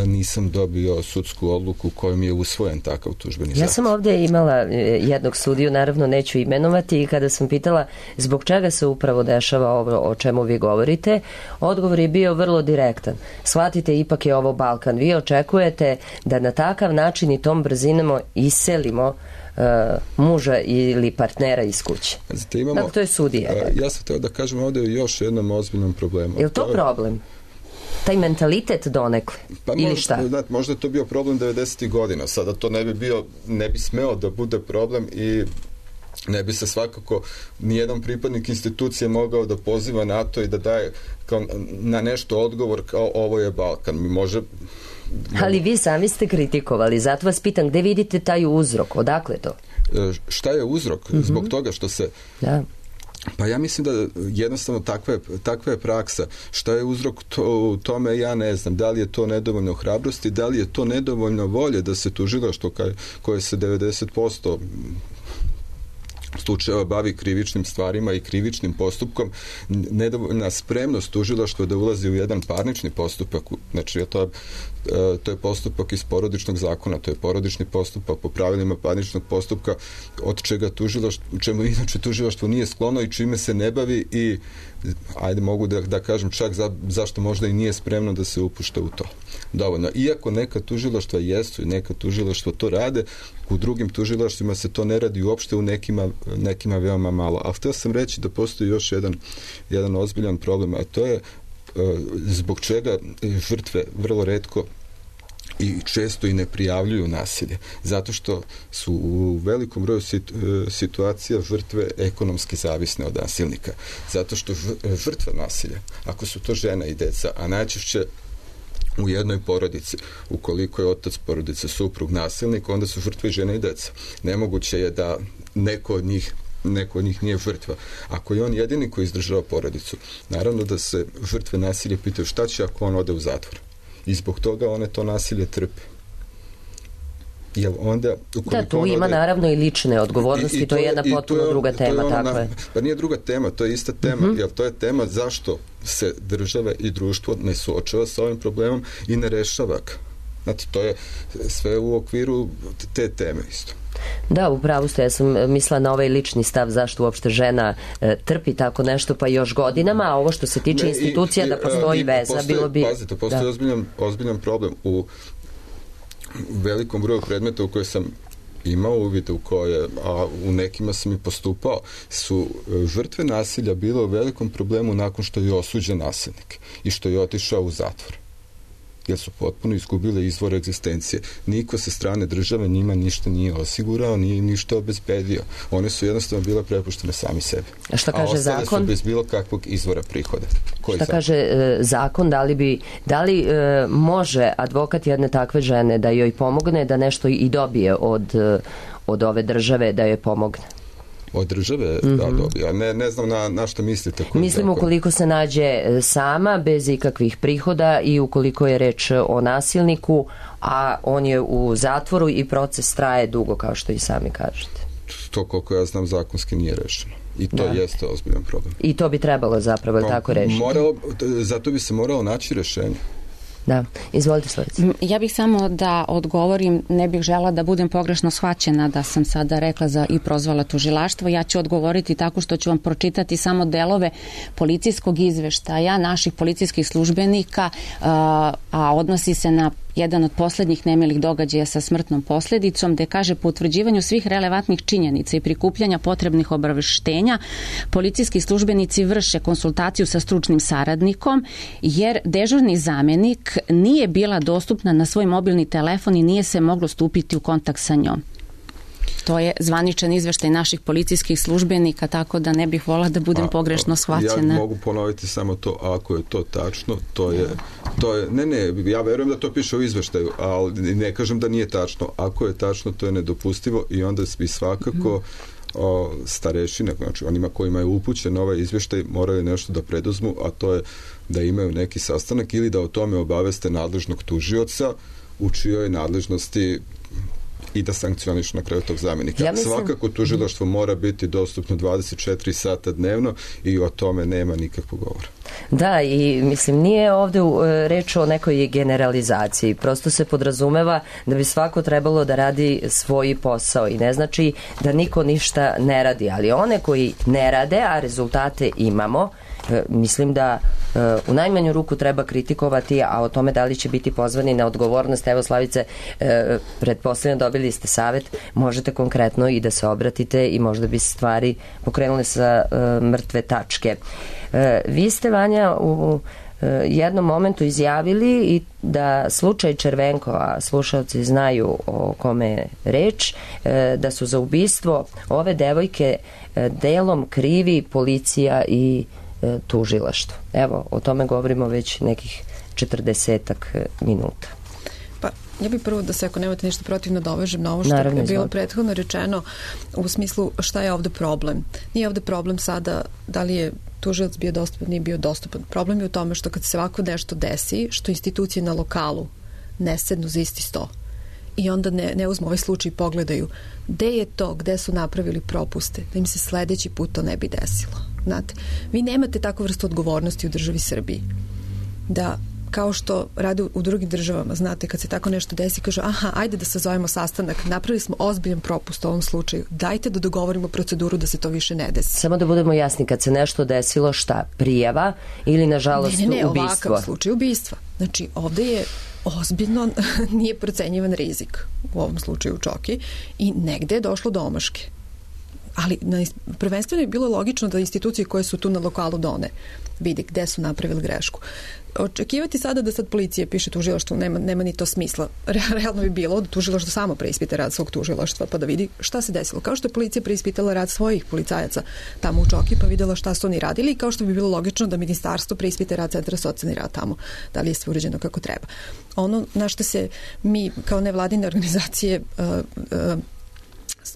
nisam dobio sudsku odluku kojom je usvojen takav tužbeni zahtev. Ja sam ovdje imala jednog sudiju, naravno neću imenovati, i kada sam pitala zbog čega se upravo dešava ovo o čemu vi govorite, odgovor je bio vrlo direktan. Shvatite, ipak je ovo Balkan. Vi očekujete da na takav način i tom brzinama iselimo uh, muža ili partnera iz kuće. Znate, imamo, dakle, to je sudija. Uh, ja sam htio da kažem ovdje o još jednom ozbiljnom problemu. Je li to, to problem? Je... taj mentalitet donekle, pa ili možda, šta? Znate, možda je to bio problem devedesetih godina, sada to ne bi bio, ne bi smeo da bude problem i ne bi se svakako nijedan pripadnik institucije mogao da poziva na to i da daje kao na nešto odgovor kao ovo je Balkan. Mi može... Ali vi sami ste kritikovali, zato vas pitam gde vidite taj uzrok, odakle to? E, šta je uzrok? Mm-hmm. Zbog toga što se... Da. Pa ja mislim da jednostavno takva je, takva je praksa. Šta je uzrok to, tome, ja ne znam. Da li je to nedovoljno hrabrosti, da li je to nedovoljno volje da se tužilaštvo koje se devedeset posto slučajeva bavi krivičnim stvarima i krivičnim postupkom, nedovoljna spremnost tužilaštva da ulazi u jedan parnični postupak, znači to je, to je postupak iz porodičnog zakona, to je porodični postupak po pravilima parničnog postupka, od čega tužilaštvo, čemu inače tužilaštvo nije sklono i čime se ne bavi i ajde mogu da, da kažem čak za, zašto možda i nije spremno da se upušta u to. Dovoljno. Iako neka tužilaštva jesu i neka tužilaštva to rade, u drugim tužilaštvima se to ne radi uopšte, u nekima, nekima veoma malo. A htio sam reći da postoji još jedan, jedan ozbiljan problem, a to je zbog čega žrtve vrlo retko i često i ne prijavljuju nasilje. Zato što su u velikom broju situacija žrtve ekonomski zavisne od nasilnika. Zato što žrtva nasilja, ako su to žena i deca, a najčešće u jednoj porodici, ukoliko je otac porodice suprug nasilnik, onda su žrtve žene i deca. Nemoguće je da neko od njih neko od njih nije žrtva. Ako je on jedini koji izdržava porodicu, naravno da se žrtve nasilja pitaju šta će ako on ode u zatvor. I zbog toga one to nasilje trpe. Jel onda, da, tu ima ode... naravno i lične odgovornosti, i, i to, to je jedna potpuno je, druga tema, je tako na, je. Pa nije druga tema, to je ista tema, mm-hmm. jer to je tema zašto se država i društvo ne suočava sa ovim problemom i ne rešava ga. Znači, to je sve u okviru te teme isto. Da, upravo ste, ja sam mislila na ovaj lični stav zašto uopšte žena e, trpi tako nešto pa još godinama, a ovo što se tiče ne, institucija i, da postoji i, veza, postoji, bilo bi... Pazite, postoji da. ozbiljan, ozbiljan problem u velikom broju predmeta u koje sam imao uvide u koje, a u nekima sam i postupao, su žrtve nasilja bile u velikom problemu nakon što je osuđen nasilnik i što je otišao u zatvor. jer su potpuno izgubile izvor egzistencije. Niko sa strane države njima ništa nije osigurao, nije ništa obezbedio. One su jednostavno bile prepuštene sami sebi. A šta kaže A ostale zakon? su bez bilo kakvog izvora prihoda. Koji Šta zakon? kaže e, zakon, da li, bi, da li e, može advokat jedne takve žene da joj pomogne da nešto i dobije od, e, od ove države da joj pomogne? Od države, Mhm. da, dobija. Ne, ne znam na, na što mislite. koji Mislim zakon. ukoliko se nađe e, sama, bez ikakvih prihoda i ukoliko je reč o nasilniku, a on je u zatvoru i proces traje dugo, kao što i sami kažete. To koliko ja znam zakonski nije rešeno. I to Da. jeste ozbiljan problem. I to bi trebalo zapravo Pa, tako rešiti. moralo, zato bi se moralo naći rešenje. Da, izvolite Slavice. Ja bih samo da odgovorim, ne bih žela da budem pogrešno shvaćena da sam sada rekla za i prozvala tužilaštvo. Ja ću odgovoriti tako što ću vam pročitati samo delove policijskog izveštaja naših policijskih službenika, a, a odnosi se na jedan od poslednjih nemilih događaja sa smrtnom posledicom, gde kaže po utvrđivanju svih relevantnih činjenica i prikupljanja potrebnih obaveštenja, policijski službenici vrše konsultaciju sa stručnim saradnikom, jer dežurni zamenik nije bila dostupna na svoj mobilni telefon i nije se moglo stupiti u kontakt sa njom. To je zvaničan izveštaj naših policijskih službenika, tako da ne bih volila da budem A, pogrešno shvaćena. Ja mogu ponoviti samo to, ako je to tačno, to je, to je, ne, ne, ja verujem da to piše u izveštaju, ali ne kažem da nije tačno. Ako je tačno, to je nedopustivo i onda bi svakako o, starešine, znači onima kojima je upućen ovaj izveštaj, moraju nešto da preduzmu, a to je da imaju neki sastanak ili da o tome obaveste nadležnog tužioca u čijoj nadležnosti i da sankcioniš na kraju tog zamenika. Ja mislim... Svakako tužilaštvo mora biti dostupno dvadeset četiri sata dnevno i o tome nema nikakvog govora. Da, i mislim nije ovde uh, reč o nekoj generalizaciji, prosto se podrazumeva da bi svako trebalo da radi svoj posao i ne znači da niko ništa ne radi, ali one koji ne rade, a rezultate imamo, mislim da uh, u najmanju ruku treba kritikovati, a o tome da li će biti pozvani na odgovornost, evo Slavice, uh, pretpostavljam dobili ste savet, možete konkretno i da se obratite i možda bi stvari pokrenule sa uh, mrtve tačke. Uh, vi ste, Vanja, u jednom momentu izjavili i da slučaj Červenko, a slušalci znaju o kome je reč, da su za ubistvo ove devojke delom krivi policija i tužilaštvo. Evo, o tome govorimo već nekih četrdesetak minuta. Pa, ja bih prvo da se, ako nemate ništa protiv, nadovežem na ovo što Naravno, je bilo izvolite. prethodno rečeno u smislu šta je ovde problem. Nije ovde problem sada da li je tužilac bio dostupan, nije bio dostupan. Problem je u tome što kad se ovako nešto desi, što institucije na lokalu ne sednu za isti sto i onda ne, ne uzmu ovaj slučaj i pogledaju gde je to, gde su napravili propuste, da im se sledeći put to ne bi desilo. Znate, vi nemate takvu vrstu odgovornosti u državi Srbiji. Da kao što rade u drugim državama, znate, kad se tako nešto desi, kažu, aha, ajde da sazovemo sastanak, napravili smo ozbiljan propust u ovom slučaju, dajte da dogovorimo proceduru da se to više ne desi. Samo da budemo jasni, kad se nešto desilo, šta, prijava ili nažalost ne, ne, ne, ubistvo? ovakav slučaj ubistva. Znači, ovde je ozbiljno nije procenjivan rizik u ovom slučaju u Čoki i negde je došlo do omaške. Ali na, prvenstveno je bilo logično da institucije koje su tu na lokalu done vidi gde su napravili grešku. Očekivati sada da sad policija piše tužilaštvu nema, nema ni to smisla. Realno bi bilo da tužilaštvo samo preispita rad svog tužilaštva pa da vidi šta se desilo. Kao što je policija preispitala rad svojih policajaca tamo u Čoki pa videla šta su oni radili i kao što bi bilo logično da ministarstvo preispite rad Centra socijalni rad tamo, da li je sve uređeno kako treba. Ono na što se mi kao nevladine organizacije uh, uh,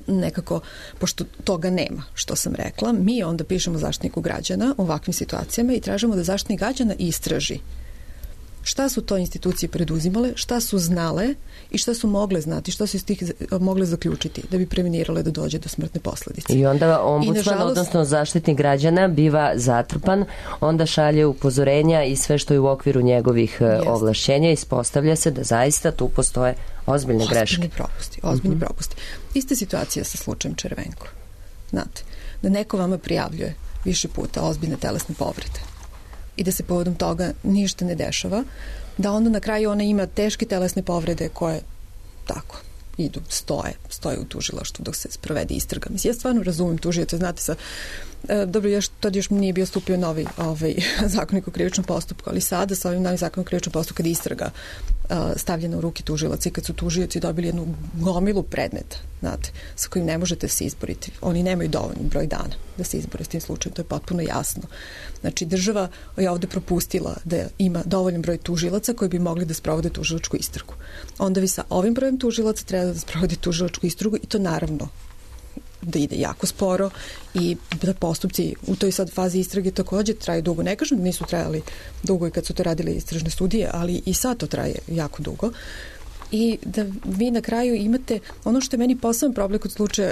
nekako, pošto toga nema, što sam rekla, mi onda pišemo Zaštitniku građana u ovakvim situacijama i tražimo da Zaštitnik građana istraži šta su to institucije preduzimale, šta su znale i šta su mogle znati, šta su iz tih mogle zaključiti da bi prevenirale da dođe do smrtne posledice. I onda ombudsman, I nažalost, odnosno Zaštitnik građana biva zatrpan, onda šalje upozorenja i sve što je u okviru njegovih jest. ovlašćenja, ispostavlja se da zaista tu postoje ozbiljne greške. Ozbiljni propusti, ozbiljni uh-huh. propusti. Ista situacija sa slučajem Červenko. Znate, da neko vama prijavljuje više puta ozbiljne telesne povrede i da se povodom toga ništa ne dešava, da onda na kraju ona ima teške telesne povrede koje tako, idu, stoje, stoje u tužilaštvu dok se sprovede istraga. Mislim, ja stvarno razumem tužioce, znate sa dobro, još, tad još nije bio stupio novi ovaj, zakonik o krivičnom postupku, ali sada sa ovim novim zakonom o krivičnom postupku kad istraga uh, stavljena u ruke tužilaca i kad su tužioci dobili jednu gomilu predmeta, znate, sa kojim ne možete se izboriti. Oni nemaju dovoljno broj dana da se izbore s tim slučajem, to je potpuno jasno. Znači, država je ovde propustila da ima dovoljan broj tužilaca koji bi mogli da sprovode tužilačku istragu. Onda vi sa ovim brojem tužilaca treba da sprovode tužilačku istragu i to naravno da ide jako sporo i da postupci u toj sad fazi istrage takođe traju dugo. Ne kažem da nisu trajali dugo i kad su to radili istražne studije, ali i sad to traje jako dugo. I da vi na kraju imate, ono što je meni poseban problem kod slučaja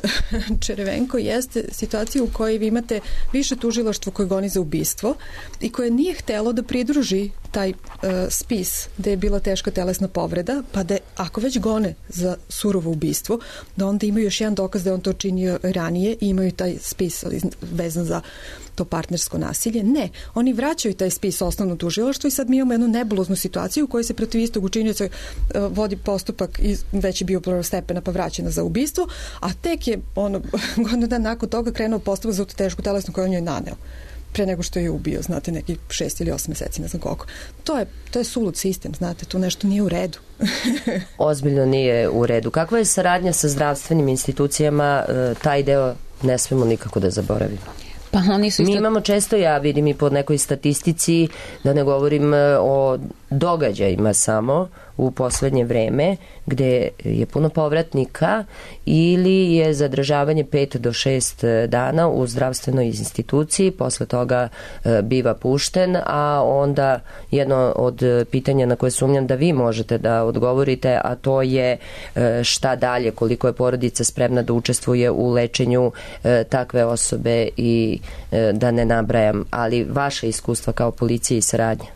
Čerevenko jeste situacija u kojoj vi imate više tužilaštvo koje goni za ubistvo i koje nije htelo da pridruži taj uh, spis gde je bila teška telesna povreda, pa da ako već gone za surovo ubistvo, da onda imaju još jedan dokaz da je on to činio ranije i imaju taj spis vezan za to partnersko nasilje. Ne, oni vraćaju taj spis osnovno tužilaštvo i sad mi imamo jednu nebuloznu situaciju u kojoj se protiv istog učinioca uh, vodi postupak i već je bio prvostepena pa vraćena za ubistvo, a tek je ono, godinu dana nakon toga krenuo postupak za tešku telesnu koju on joj naneo pre nego što je ubio, znate, neki šest ili osam meseci, ne znam koliko. To je, to je sulud sistem, znate, tu nešto nije u redu. Ozbiljno nije u redu. Kakva je saradnja sa zdravstvenim institucijama? Taj deo ne smemo nikako da zaboravimo. Pa oni su isto... Mi imamo često, ja vidim i po nekoj statistici, da ne govorim o događajima samo u poslednje vreme, gde je puno povratnika ili je zadržavanje pet do šest dana u zdravstvenoj instituciji, posle toga biva pušten, a onda jedno od pitanja na koje sumnjam da vi možete da odgovorite, a to je šta dalje, koliko je porodica spremna da učestvuje u lečenju takve osobe i da ne nabrajam, ali vaše iskustva kao policije i saradnja.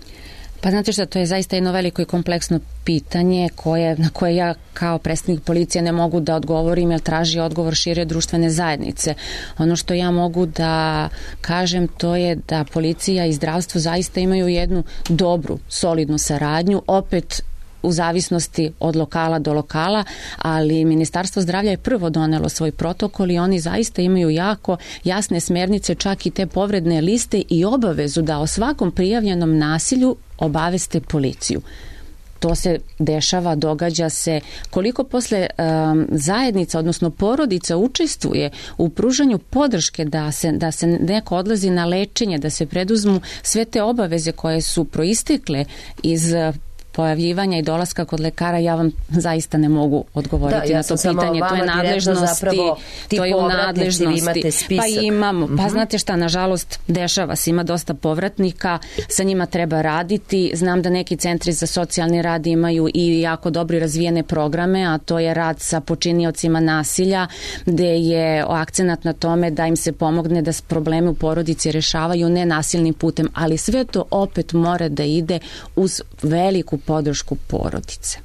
Pa znate šta, to je zaista jedno veliko i kompleksno pitanje koje, na koje ja kao predstavnik policije ne mogu da odgovorim jer traži odgovor šire društvene zajednice. Ono što ja mogu da kažem to je da policija i zdravstvo zaista imaju jednu dobru, solidnu saradnju, opet u zavisnosti od lokala do lokala, ali Ministarstvo zdravlja je prvo donelo svoj protokol i oni zaista imaju jako jasne smernice, čak i te povredne liste i obavezu da o svakom prijavljenom nasilju obaveste policiju. To se dešava, događa se. Koliko posle um, zajednica, odnosno porodica učestvuje u pružanju podrške da se, da se neko odlazi na lečenje, da se preduzmu sve te obaveze koje su proistekle iz pojavljivanja i dolaska kod lekara, ja vam zaista ne mogu odgovoriti da, na to pitanje. To je nadležnosti, to je u nadležnosti. Pa imamo, pa znate šta, nažalost, dešava se, ima dosta povratnika, sa njima treba raditi. Znam da neki centri za socijalni rad imaju i jako dobro razvijene programe, a to je rad sa počiniocima nasilja, gde je akcenat na tome da im se pomogne da probleme u porodici rešavaju nenasilnim putem, ali sve to opet mora da ide uz veliku podršku porodice.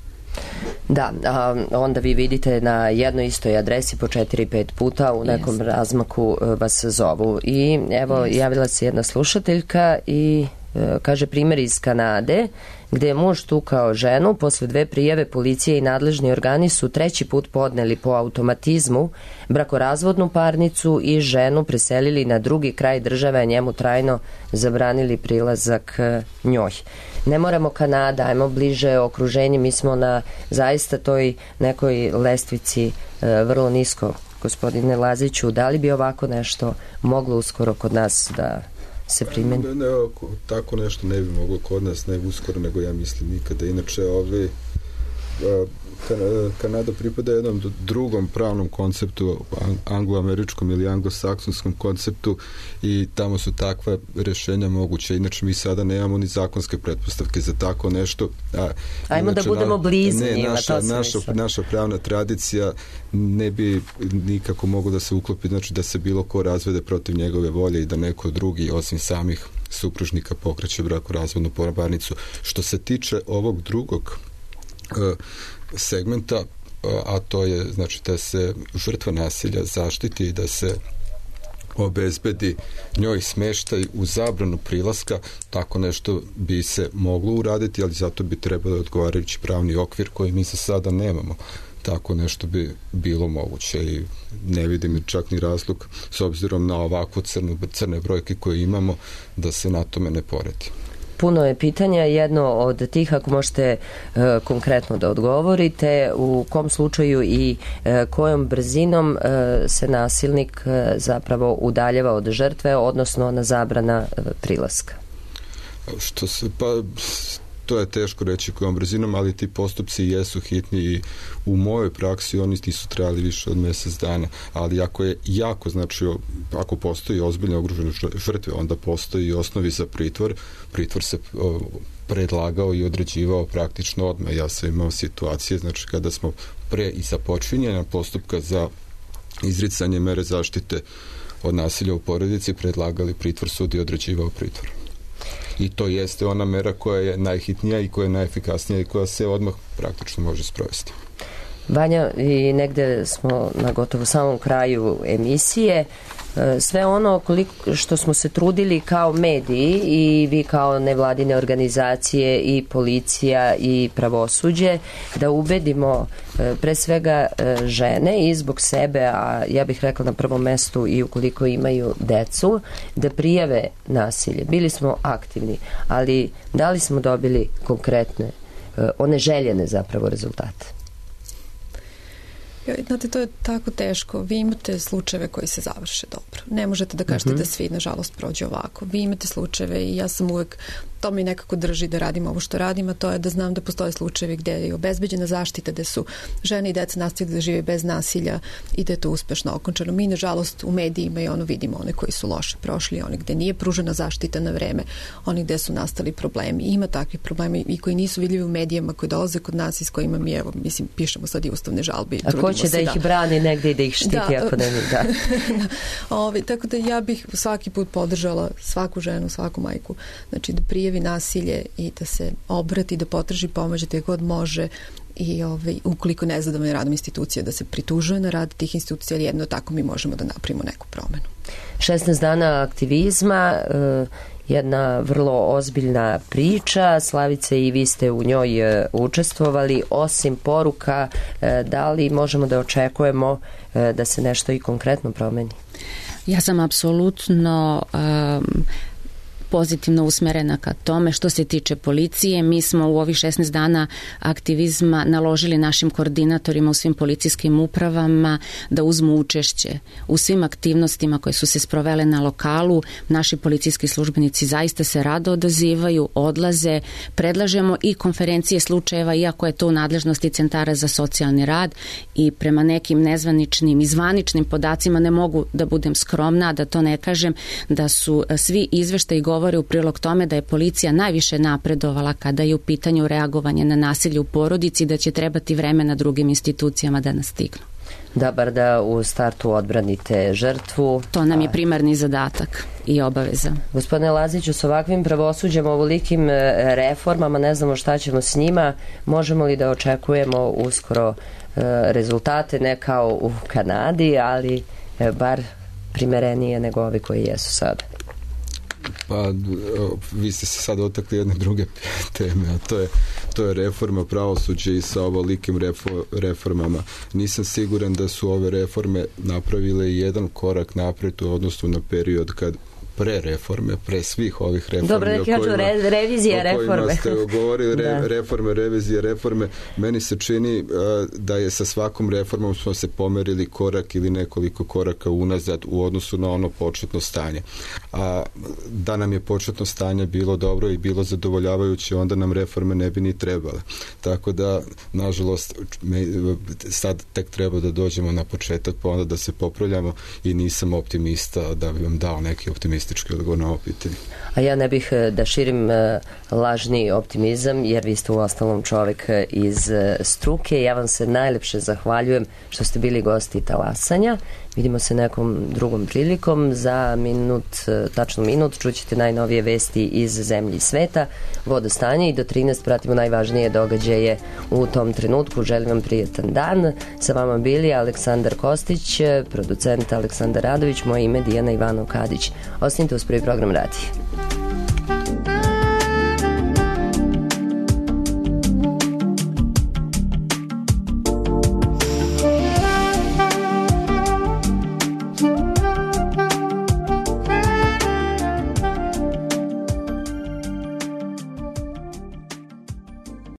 Da, a onda vi vidite na jednoj istoj adresi po četiri pet puta u nekom yes. razmaku vas zovu. I evo, yes. javila se jedna slušateljka i e, kaže primjer iz Kanade, gde je muž tukao ženu, posle dve prijave policije i nadležni organi su treći put podneli po automatizmu brakorazvodnu parnicu i ženu preselili na drugi kraj države, a njemu trajno zabranili prilazak njoj. Ne moramo Kanada, ajmo bliže okruženje, mi smo na zaista toj nekoj lestvici e, vrlo nisko. Gospodine Laziću, da li bi ovako nešto moglo uskoro kod nas da se primeni? Ne, ne, tako nešto ne bi moglo kod nas, ne uskoro, nego ja mislim nikada. Inače, ovi, Kanada pripada jednom drugom pravnom konceptu, angloameričkom ili anglosaksonskom konceptu i tamo su takva rešenja moguće. Inače, mi sada nemamo ni zakonske pretpostavke za tako nešto. A, Ajmo inače, da budemo blizu ne, njima, naša, to naša, naša pravna tradicija ne bi nikako moglo da se uklopi, znači da se bilo ko razvede protiv njegove volje i da neko drugi, osim samih supružnika, pokreće brakorazvodnu parnicu. Što se tiče ovog drugog uh, segmenta, a to je znači da se žrtva nasilja zaštiti i da se obezbedi njoj smeštaj u zabranu prilaska, tako nešto bi se moglo uraditi, ali zato bi trebalo odgovarajući pravni okvir koji mi za sada nemamo. tako nešto bi bilo moguće i ne vidim čak ni razlog s obzirom na ovakvu crnu, crne brojke koje imamo da se na tome ne poredi. Puno je pitanja, jedno od tih, ako možete e, konkretno da odgovorite, u kom slučaju i e, kojom brzinom e, se nasilnik e, zapravo udaljava od žrtve, odnosno na zabrana e, prilaska? Što se, pa to je teško reći kojom brzinom, ali ti postupci jesu hitni i u mojoj praksi oni nisu trajali više od mjesec dana, ali ako je jako, znači ako postoji ozbiljno ugrožene žrtve, onda postoji i osnovi za pritvor. Pritvor se o, predlagao i određivao praktično odmah. Ja sam imao situacije, znači kada smo pre i započinjanja postupka za izricanje mere zaštite od nasilja u porodici predlagali pritvor, sud i određivao pritvor. I to jeste ona mera koja je najhitnija i koja je najefikasnija i koja se odmah praktično može sprovesti. Vanja, i negde smo na gotovo samom kraju emisije. Sve ono koliko što smo se trudili kao mediji i vi kao nevladine organizacije i policija i pravosuđe da ubedimo pre svega žene i zbog sebe, a ja bih rekla na prvom mestu i ukoliko imaju decu, da prijave nasilje. Bili smo aktivni, ali da li smo dobili konkretne, one željene zapravo rezultate? Znate, to je tako teško. Vi imate slučajeve koji se završe dobro. Ne možete da kažete mm-hmm. da svi, nažalost, prođe ovako. Vi imate slučajeve i ja sam uvek, to mi nekako drži da radim ovo što radim, a to je da znam da postoje slučajevi gde je obezbeđena zaštita, gde su žene i deca nastavili da žive bez nasilja i da je to uspešno okončano. Mi, nažalost, u medijima i ono vidimo one koji su loše prošli, one gde nije pružena zaštita na vreme, oni gde su nastali problemi. Ima takvih problema i koji nisu vidljivi u medijima, koji dolaze kod nas i s kojima mi, evo, mislim, pišemo sad i ustavne žalbe. A ko će da, da ih brani negde i da ih štiti da, ako ne mi da? Ovi, tako da ja bih svaki put podržala svaku ženu, svaku majku, znači da prijavi nasilje i da se obrati, da potraži pomoć gde god može i ovaj, ukoliko ne zadovoljna radom institucija da se pritužuje na rad tih institucija, ali jedno tako mi možemo da napravimo neku promenu. šesnaest dana aktivizma, jedna vrlo ozbiljna priča. Slavice, i vi ste u njoj učestvovali. Osim poruka, da li možemo da očekujemo da se nešto i konkretno promeni? Ja sam apsolutno um, pozitivno usmerena ka tome. Što se tiče policije, mi smo u ovih šesnaest dana aktivizma naložili našim koordinatorima u svim policijskim upravama da uzmu učešće u svim aktivnostima koje su se sprovele na lokalu. Naši policijski službenici zaista se rado odazivaju, odlaze, predlažemo i konferencije slučajeva, iako je to u nadležnosti centara za socijalni rad, i prema nekim nezvaničnim i zvaničnim podacima, ne mogu da budem skromna, da to ne kažem, da su svi izveštaji govore u prilog tome da je policija najviše napredovala kada je u pitanju reagovanje na nasilje u porodici, da će trebati vremena drugim institucijama da nas stignu. Da, bar da u startu odbranite žrtvu. To nam je primarni zadatak i obaveza. Gospodine Laziću, s ovakvim pravosuđem, ovolikim reformama, ne znamo šta ćemo s njima, možemo li da očekujemo uskoro rezultate, ne kao u Kanadi, ali bar primerenije nego ovi koji jesu sada? Pa, vi ste se sad otakli jedne druge teme, a to je, to je reforma pravosuđa i sa ovolikim reformama. Nisam siguran da su ove reforme napravile jedan korak napred u odnosu na period kad pre reforme, pre svih ovih reformi. Dobro, da kažu re, revizija reforme. O kojima ste govorili, re, reforme, revizije reforme. Meni se čini uh, da je sa svakom reformom smo se pomerili korak ili nekoliko koraka unazad u odnosu na ono početno stanje. A da nam je početno stanje bilo dobro i bilo zadovoljavajuće, onda nam reforme ne bi ni trebale. Tako da, nažalost, me, sad tek treba da dođemo na početak, pa onda da se popravljamo, i nisam optimista da bi vam dao neki optimistički odgovor na ovo pitanje. A ja ne bih da širim lažni optimizam, jer vi ste u ostalom čovek iz struke. Ja vam se najlepše zahvaljujem što ste bili gosti Talasanja. Vidimo se nekom drugom prilikom. Za minut, tačno minut, čućete najnovije vesti iz zemlje i sveta, vodostanje, i do trinaest pratimo najvažnije događaje u tom trenutku. Želim vam prijetan dan. Sa vama bili Aleksandar Kostić, producent Aleksandar Radović, moje ime Dijana Ivanov Kadić. Ostanite uz Prvi program radija.